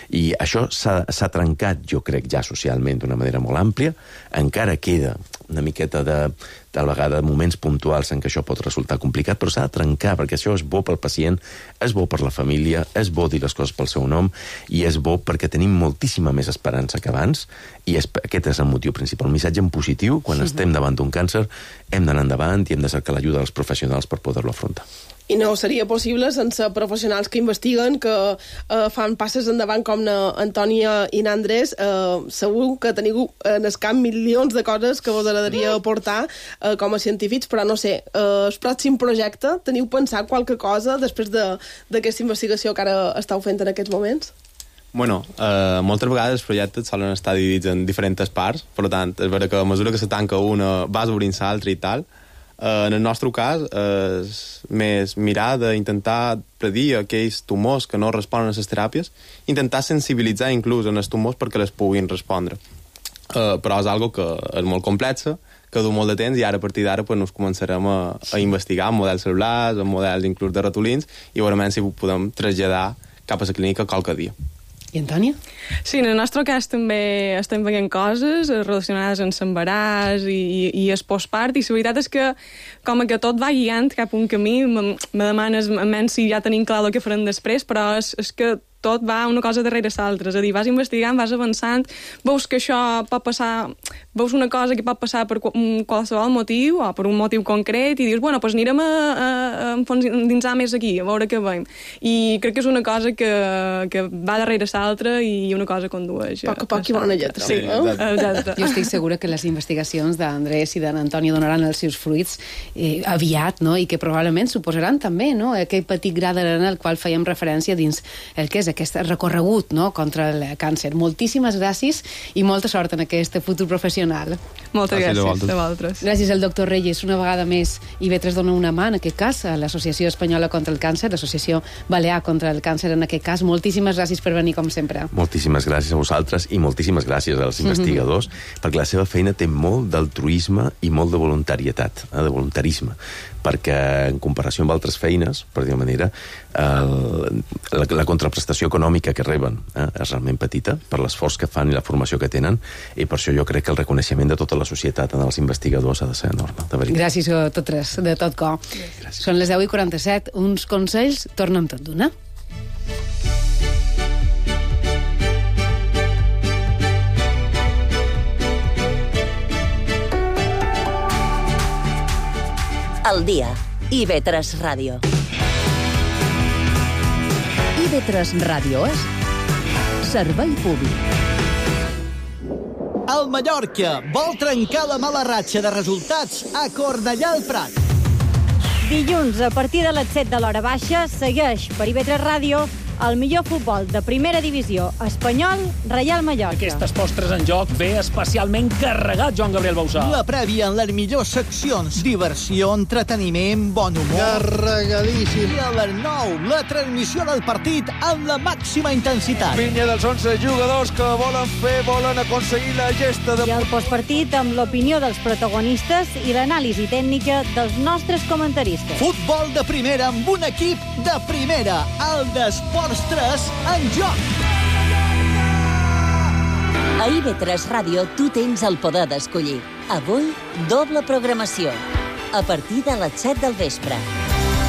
I això s'ha trencat, jo crec, ja socialment d'una manera molt àmplia. Encara queda una miqueta de vegada moments puntuals en què això pot resultar complicat, però s'ha de trencar, perquè això és bo pel pacient, és bo per la família, és bo dir les coses pel seu nom, i és bo perquè tenim moltíssima més esperança que abans, i aquest és el motiu principal. Un missatge en positiu, quan estem davant d'un càncer, hem d'anar endavant i hem de cercar l'ajuda dels professionals per poder-lo afrontar. I no seria possible sense professionals que investiguen, que fan passes endavant com Antònia i Andrés. Segur que teniu en el camp milions de coses que vos agradaria aportar com a científics, però no sé, el pròxim projecte, teniu pensat qualque cosa després d'aquesta investigació que ara esteu fent en aquests moments? Bueno, moltes vegades els projectes solen estar dividits en diferents parts, per tant, és vera que a mesura que se tanca una vas obrint l'altra i tal. En el nostre cas és més mirar d'intentar predir aquells tumors que no responen a les teràpies, intentar sensibilitzar inclús en els tumors perquè les puguin respondre. Però és algo que és molt complexa, que du molt de temps, i ara a partir d'ara pues, nos començarem a investigar en models cel·lulars, en models inclús de ratolins, i veurem si ho podem traslladar cap a la clínica qualque dia. I Antònia? Sí, en el nostre cas també estem veient coses relacionades amb l'embaràs i el postpart, i la veritat és que com que tot va guiant cap a un camí, me demanes si ja tenim clar el que farem després, però és que tot va una cosa darrere l'altra, és a dir, vas investigant, vas avançant, veus que això pot passar, veus una cosa que pot passar per qualsevol motiu, o per un motiu concret, i dius, bueno, doncs anirem a endinsar més aquí, a veure què veiem. I crec que és una cosa que va darrere l'altra i una cosa condueix. A poc i bona lletra. Sí, exacte. Jo estic segura que les investigacions d'Andrés i d'Antònia donaran els seus fruits aviat, no? I que probablement suposaran també, no? Aquell petit gra d'arena al qual fèiem referència dins el que és aquest recorregut, no?, contra el càncer. Moltíssimes gràcies i molta sort en aquest futur professional. Moltes gràcies a vosaltres. Gràcies al doctor Reyes una vegada més. IB3 dona una mà, en aquest cas, a l'Associació Espanyola contra el Càncer, l'Associació Balear contra el Càncer, en aquest cas. Moltíssimes gràcies per venir, com sempre. Moltíssimes gràcies a vosaltres i moltíssimes gràcies als investigadors, perquè la seva feina té molt d'altruisme i molt de voluntarietat, de voluntarisme, perquè en comparació amb altres feines, per dir-ho manera, la contraprestació econòmica que reben és realment petita per l'esforç que fan i la formació que tenen, i per això jo crec que el reconeixement de tota la societat en els investigadors ha de ser enorme, de veritat. Gràcies a totes, de tot cor. Són les 10:47, uns consells, tornem tot d'una. El dia. IB3 Ràdio. IB3 Ràdio és servei públic. El Mallorca vol trencar la mala ratxa de resultats a Cornellà al Prat. Dilluns, a partir de les 7 de l'hora baixa, segueix per IB3 Ràdio el millor futbol de primera divisió espanyol, Reial Mallorca. Aquestes postres en joc ve especialment carregat, Joan Gabriel Bausà. La prèvia en les millors seccions. Diversió, entreteniment, bon humor. Carregadíssim. I a les 9, la transmissió del partit amb la màxima intensitat. Pinya dels 11 jugadors que volen aconseguir la gesta de... I el postpartit amb l'opinió dels protagonistes i l'anàlisi tècnica dels nostres comentaristes. Futbol de primera amb un equip de primera. El d'Esports 3 en joc. A IB3 Ràdio tu tens el poder d'escollir. Avui, doble programació. A partir de les 7 del vespre.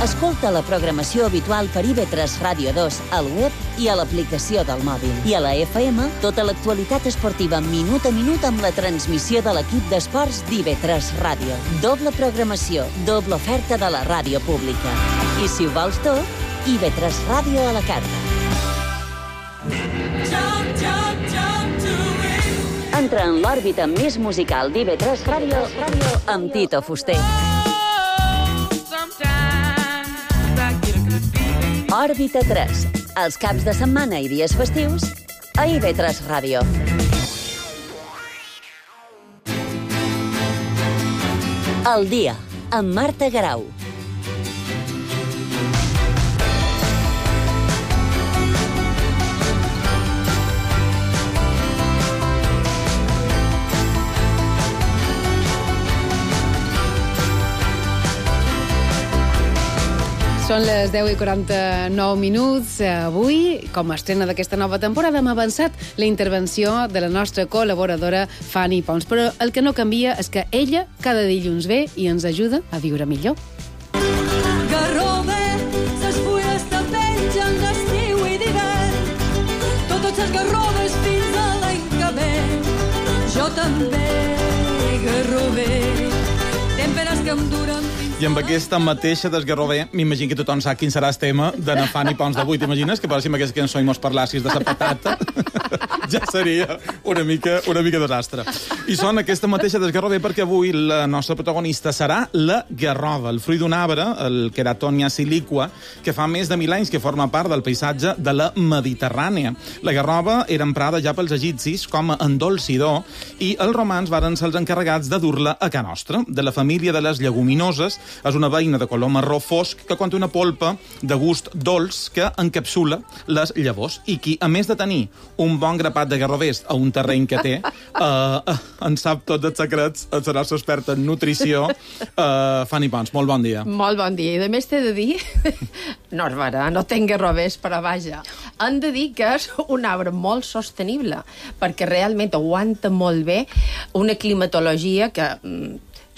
Escolta la programació habitual per IB3 Ràdio 2 al web i a l'aplicació del mòbil. I a la FM, tota l'actualitat esportiva minut a minut amb la transmissió de l'equip d'esports d'IB3 Ràdio. Doble programació, doble oferta de la ràdio pública. I si ho vols tot, IB3 Ràdio a la carta. Entra en l'òrbita més musical d'IB3 Ràdio amb Tito Fuster. Òrbita 3, els caps de setmana i dies festius a IB3 Ràdio. El dia, amb Marta Garau. Són les 10:49. Avui, com a estrena d'aquesta nova temporada, hem avançat la intervenció de la nostra col·laboradora Fanny Pons. Però el que no canvia és que ella cada dilluns ve i ens ajuda a viure millor. Garrove, ses fulles te pengen d'estiu i d'hivern. Totes les garroves fins a l'any que ve. Jo també, garrove, temperes que em duren. I amb aquesta mateixa desgarrover, m'imagino que tothom sap quin serà el tema de na Fanny Pons d'avui. T'imagines que si amb aquesta cançó i mos parlassis de la patata? Ja seria una mica desastre. I són aquesta mateixa desgarrover perquè avui la nostra protagonista serà la garrova, el fruit d'un arbre, el Queratonia siliqua, que fa més de 1000 anys que forma part del paisatge de la Mediterrània. La garrova era emprada ja pels egipcis com a endolcidor i els romans varen ser els encarregats de dur-la a ca nostra. De la família de les lleguminoses, és una beina de color marró fosc que conté una polpa de gust dolç que encapsula les llavors i qui, a més de tenir un bon grapat de garrovers a un terreny que té, en sap tots els secrets, serà la nostra experta en nutrició, Fanny Pons. Molt bon dia. Molt bon dia. I a més t'he de dir, no és vera, no tenc garrovers, però vaja, hem de dir que és un arbre molt sostenible, perquè realment aguanta molt bé una climatologia que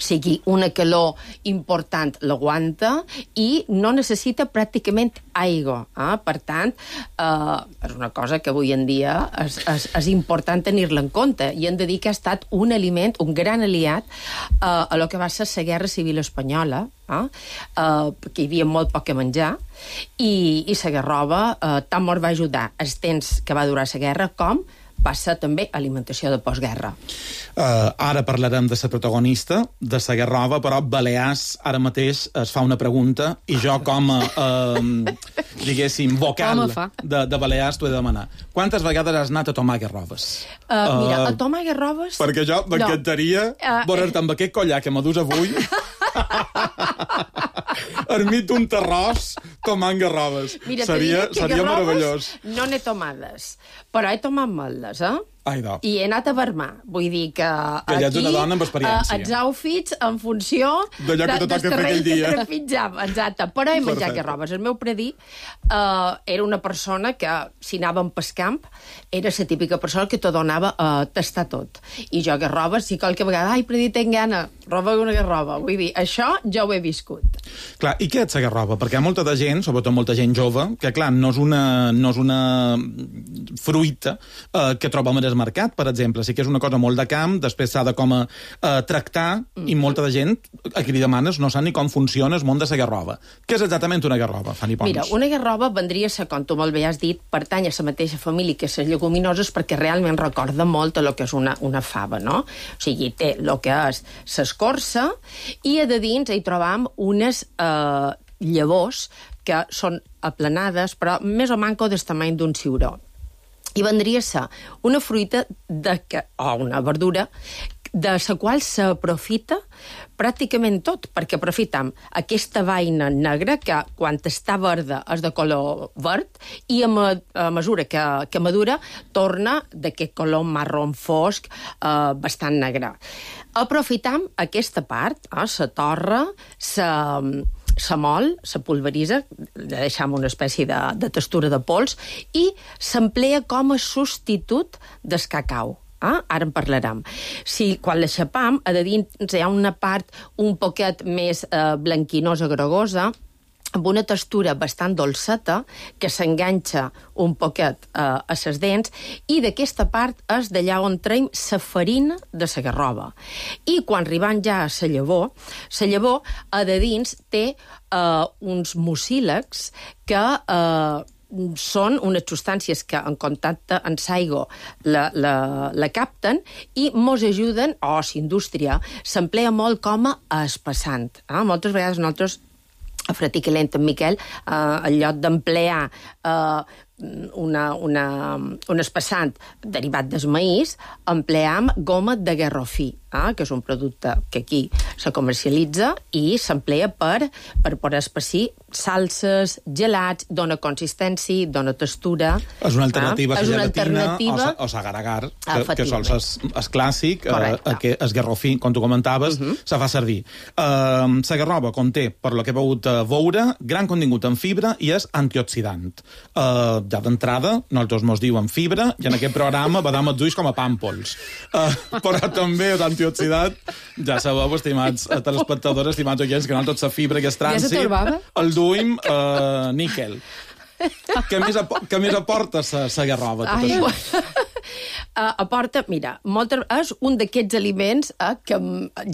sigui una calor important, l'aguanta i no necessita pràcticament aigua. Per tant, és una cosa que avui en dia és important tenir-la en compte i hem de dir que ha estat un aliment, un gran aliat a lo que va ser la Guerra Civil Espanyola, perquè hi havia molt poc a menjar i la garrova tant ens va ajudar els temps que va durar la guerra com va ser també alimentació de postguerra. Ara parlarem de la protagonista, de la garrova, però Balears ara mateix es fa una pregunta i jo com a, diguéssim, vocal de Balears t'ho he de demanar. Quantes vegades has anat a tomar garroves? Mira, a tomar garroves... Perquè jo m'encantaria veure't amb aquest collar que m'adús avui ermit d'un terròs tomant garroves. Mira, seria meravellós. No n'he tomades, però he tomat moltes, I he anat a vermar. Vull dir que ja ets una dona amb experiència. Els outfits en funció d'allò que te toca fer aquell dia. Exacte. Però he menjat garrobes. El meu predí era una persona que, si anàvem pel camp, era la típica persona que te donava a tastar tot. I jo garrobes, si qualque vegada, predí, tenc gana, roba una garroba. Vull dir, això ja ho he viscut. Clar, i què és la garroba? Perquè hi ha molta de gent, sobretot molta gent jove, que clar, no és una fruita que trobem al mercat, per exemple. Sí que és una cosa molt de camp, després s'ha de com tractar, i molta de gent a qui li demanes no sap ni com funciona el món de la garroba. Què és exactament una garroba, Fanny Pons? Mira, una garroba vendria a ser, com tu molt bé has dit, pertany a la mateixa família que les lleguminoses, perquè realment recorda molt a lo que és una fava, no? O sigui, té el que és l'escorça, i a de dins hi trobam unes llavors que són aplanades, però més o manco del tamany d'un ciuró. I vendria a ser una fruita o una verdura de la qual s'aprofita pràcticament tot, perquè aprofitam aquesta vaina negra que quan està verda és de color verd i a mesura que madura torna d'aquest color marró fosc bastant negre. Aprofitam aquesta part, la torra, se mol, se pulveritza, deixam una espècie de textura de pols, i s'emplea com a substitut del cacau. Ara en parlarem. Si quan l'aixapam, a dins hi ha una part un poquet més blanquinosa, grogosa, amb una textura bastant dolceta, que s'enganxa un poquet a les dents, i d'aquesta part és d'allà on traiem la farina de la garroba. I quan arribem ja a la llavor a de dins té uns mucílags que són unes substàncies que en contacte amb l'aigua la capten i mos ajuden, o l'indústria s'emplea molt com a espessant. Moltes vegades nosaltres a Fratiquelent, en Miquel, en lloc d'emplear un espessant derivat del maïs, empleam goma de garrofí, que és un producte que aquí se comercialitza i s'emplea per poder espessir salses, gelats, dona consistència, dona textura. És una alternativa a la gelatina o l'agar-agar, que sols és clàssic, el garrofí, com tu comentaves, se fa servir. La garroba conté, per lo que he pogut veure, gran contingut en fibra i és antioxidant. Ja d'entrada, nosaltres mos diuen fibra, i en aquest programa badam els ulls com a pàmpols. Però també és antioxidant. Ja sabeu, estimats telespectadors, estimats oients, que nosaltres la fibra que és trànsit, el duim níquel. Què més aporta la garroba? Aporta, mira, és un d'aquests aliments que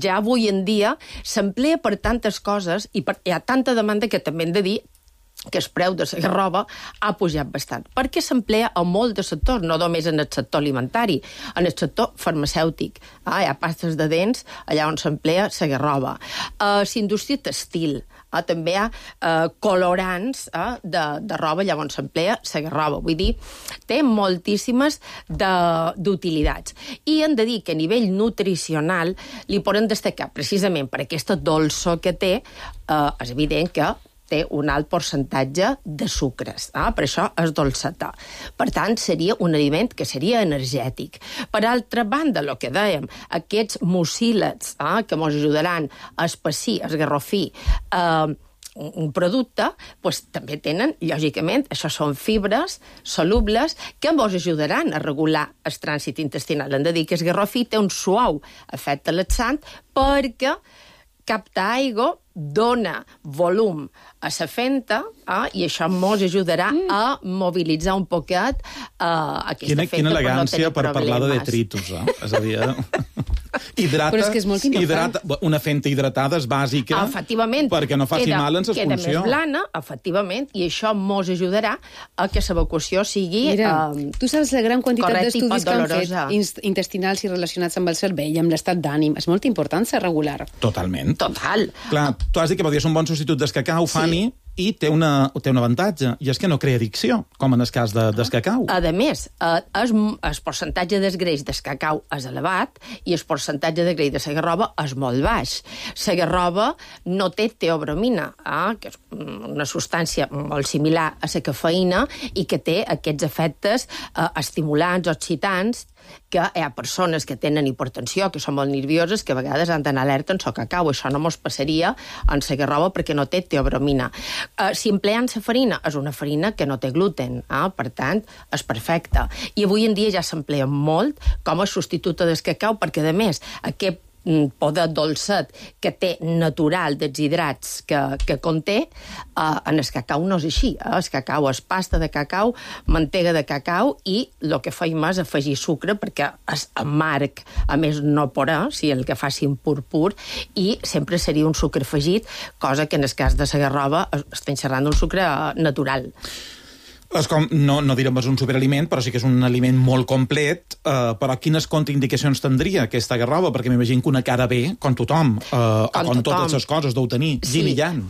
ja avui en dia s'emplea per tantes coses i hi ha tanta demanda que també hem de dir que el preu de la garroba ha pujat bastant, perquè s'emplea a molt de sectors, no només en el sector alimentari, en el sector farmacèutic. Hi ha pastes de dents allà on s'emplea la garroba. A la indústria textil, també hi ha colorants de roba allà on s'emplea la garroba. Vull dir, té moltíssimes d'utilitats. I hem de dir que a nivell nutricional li poden destacar, precisament per aquesta dolçor que té, és evident que té un alt percentatge de sucres. Per això és dolcetà. Per tant, seria un aliment que seria energètic. Per altra banda, el que dèiem, aquests mucílags que ens ajudaran a espessir, a esgarrofir un producte, també tenen, lògicament, això són fibres solubles que ens ajudaran a regular el trànsit intestinal. Hem de dir que el garrofí té un suau efecte laxant perquè capta aigua, dona volum a la fenta, i això ens ajudarà a mobilitzar un poquet aquesta fenta. Quina elegància per parlar de detritus, és a dir, hidrata, però és que és molt important. Una fenta hidratada és bàsica perquè no faci mal en l'expulsió. Queda més blana, efectivament, i això ens ajudarà a que l'evacuació sigui tu saps la gran quantitat d'estudis que han fet intestinals i relacionats amb el cervell, amb l'estat d'ànim. És molt important ser regular. Totalment. Total. Clar, tu has dit que podria ser un bon substitut del cacau, Fanny, i té un avantatge, i és que no crea addicció, com en el cas del cacau. A més, el percentatge del greix del cacau és elevat i el percentatge de greix de la garroba és molt baix. La garroba no té teobromina, que és una substància molt similar a la cafeïna i que té aquests efectes estimulants, oxidants, que hi ha persones que tenen hipertensió, que són molt nervioses, que a vegades han d'anar alerta en el cacau. Això no mos passaria en la garrova perquè no té teobromina. Si empleant la farina, és una farina que no té gluten, per tant, és perfecta. I avui en dia ja s'emplea molt com a substituta del cacau, perquè, a més, aquest poder dolcet que té natural dels hidrats que conté, en el cacau no és així. El cacau és pasta de cacau, mantega de cacau, i el que feim és afegir sucre perquè és amarg, a més no porà, si el que facin pur, i sempre seria un sucre afegit, cosa que en el cas de la garrova estem xerrant d'un sucre natural. És com, no direm és un superaliment, però sí que és un aliment molt complet, però quines contraindicacions tindria aquesta garrova? Perquè m'imagino que una cara bé, com tothom, com totes les coses deu tenir, yin i yang.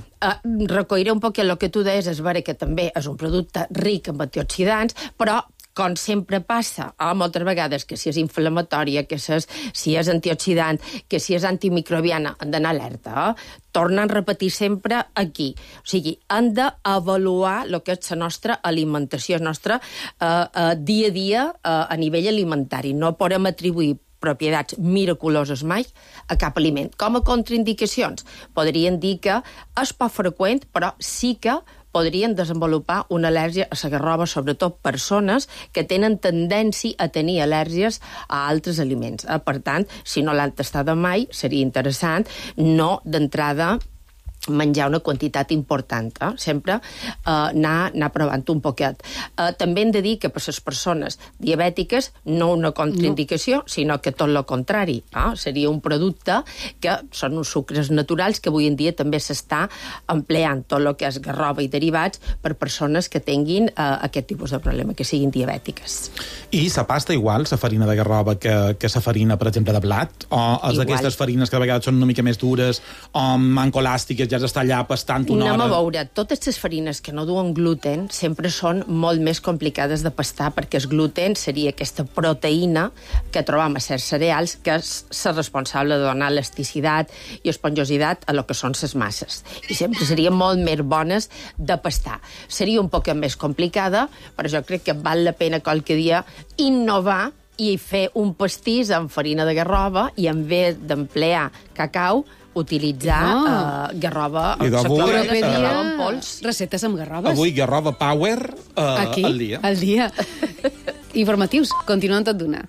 Recolliré un poc el que tu deies, és vera que també és un producte ric en antioxidants, però com sempre passa, moltes vegades, que si és inflamatòria, que si és antioxidant, que si és antimicrobiana, han d'anar alerta. Tornen a repetir sempre aquí. O sigui, han d'avaluar el que és la nostra alimentació, el nostre dia a dia a nivell alimentari. No podem atribuir propietats miraculoses mai a cap aliment. Com a contraindicacions, podrien dir que és poc freqüent, però sí que podrien desenvolupar una al·lèrgia a la garrova, sobretot persones que tenen tendència a tenir al·lèrgies a altres aliments. Per tant, si no l'han tastada mai, seria interessant no d'entrada menjar una quantitat important. Sempre anar provant un poquet. També hem de dir que per les persones diabètiques no una contraindicació, sinó que tot el contrari. Seria un producte que són uns sucres naturals que avui en dia també s'està empleant tot el que és garrova i derivats per persones que tinguin aquest tipus de problema, que siguin diabètiques. I la pasta igual, la farina de garrova que la farina, per exemple, de blat? O és d'aquestes farines que a vegades són una mica més dures o mancolàstiques, ja està allà pastant una hora? Anem a veure, totes les farines que no duen gluten sempre són molt més complicades de pastar, perquè el gluten seria aquesta proteïna que trobam a certs cereals, que és la responsable de donar elasticitat i esponjositat a lo que són les masses. I sempre serien molt més bones de pastar. Seria un poc més complicada, però jo crec que val la pena qualque dia innovar i fer un pastís amb farina de garrova i en vez d'emplear cacau, utilitzar garrova en pols. Receptes amb garroves. Avui garrova power al dia. Al dia. Informatius, continuem tot d'una.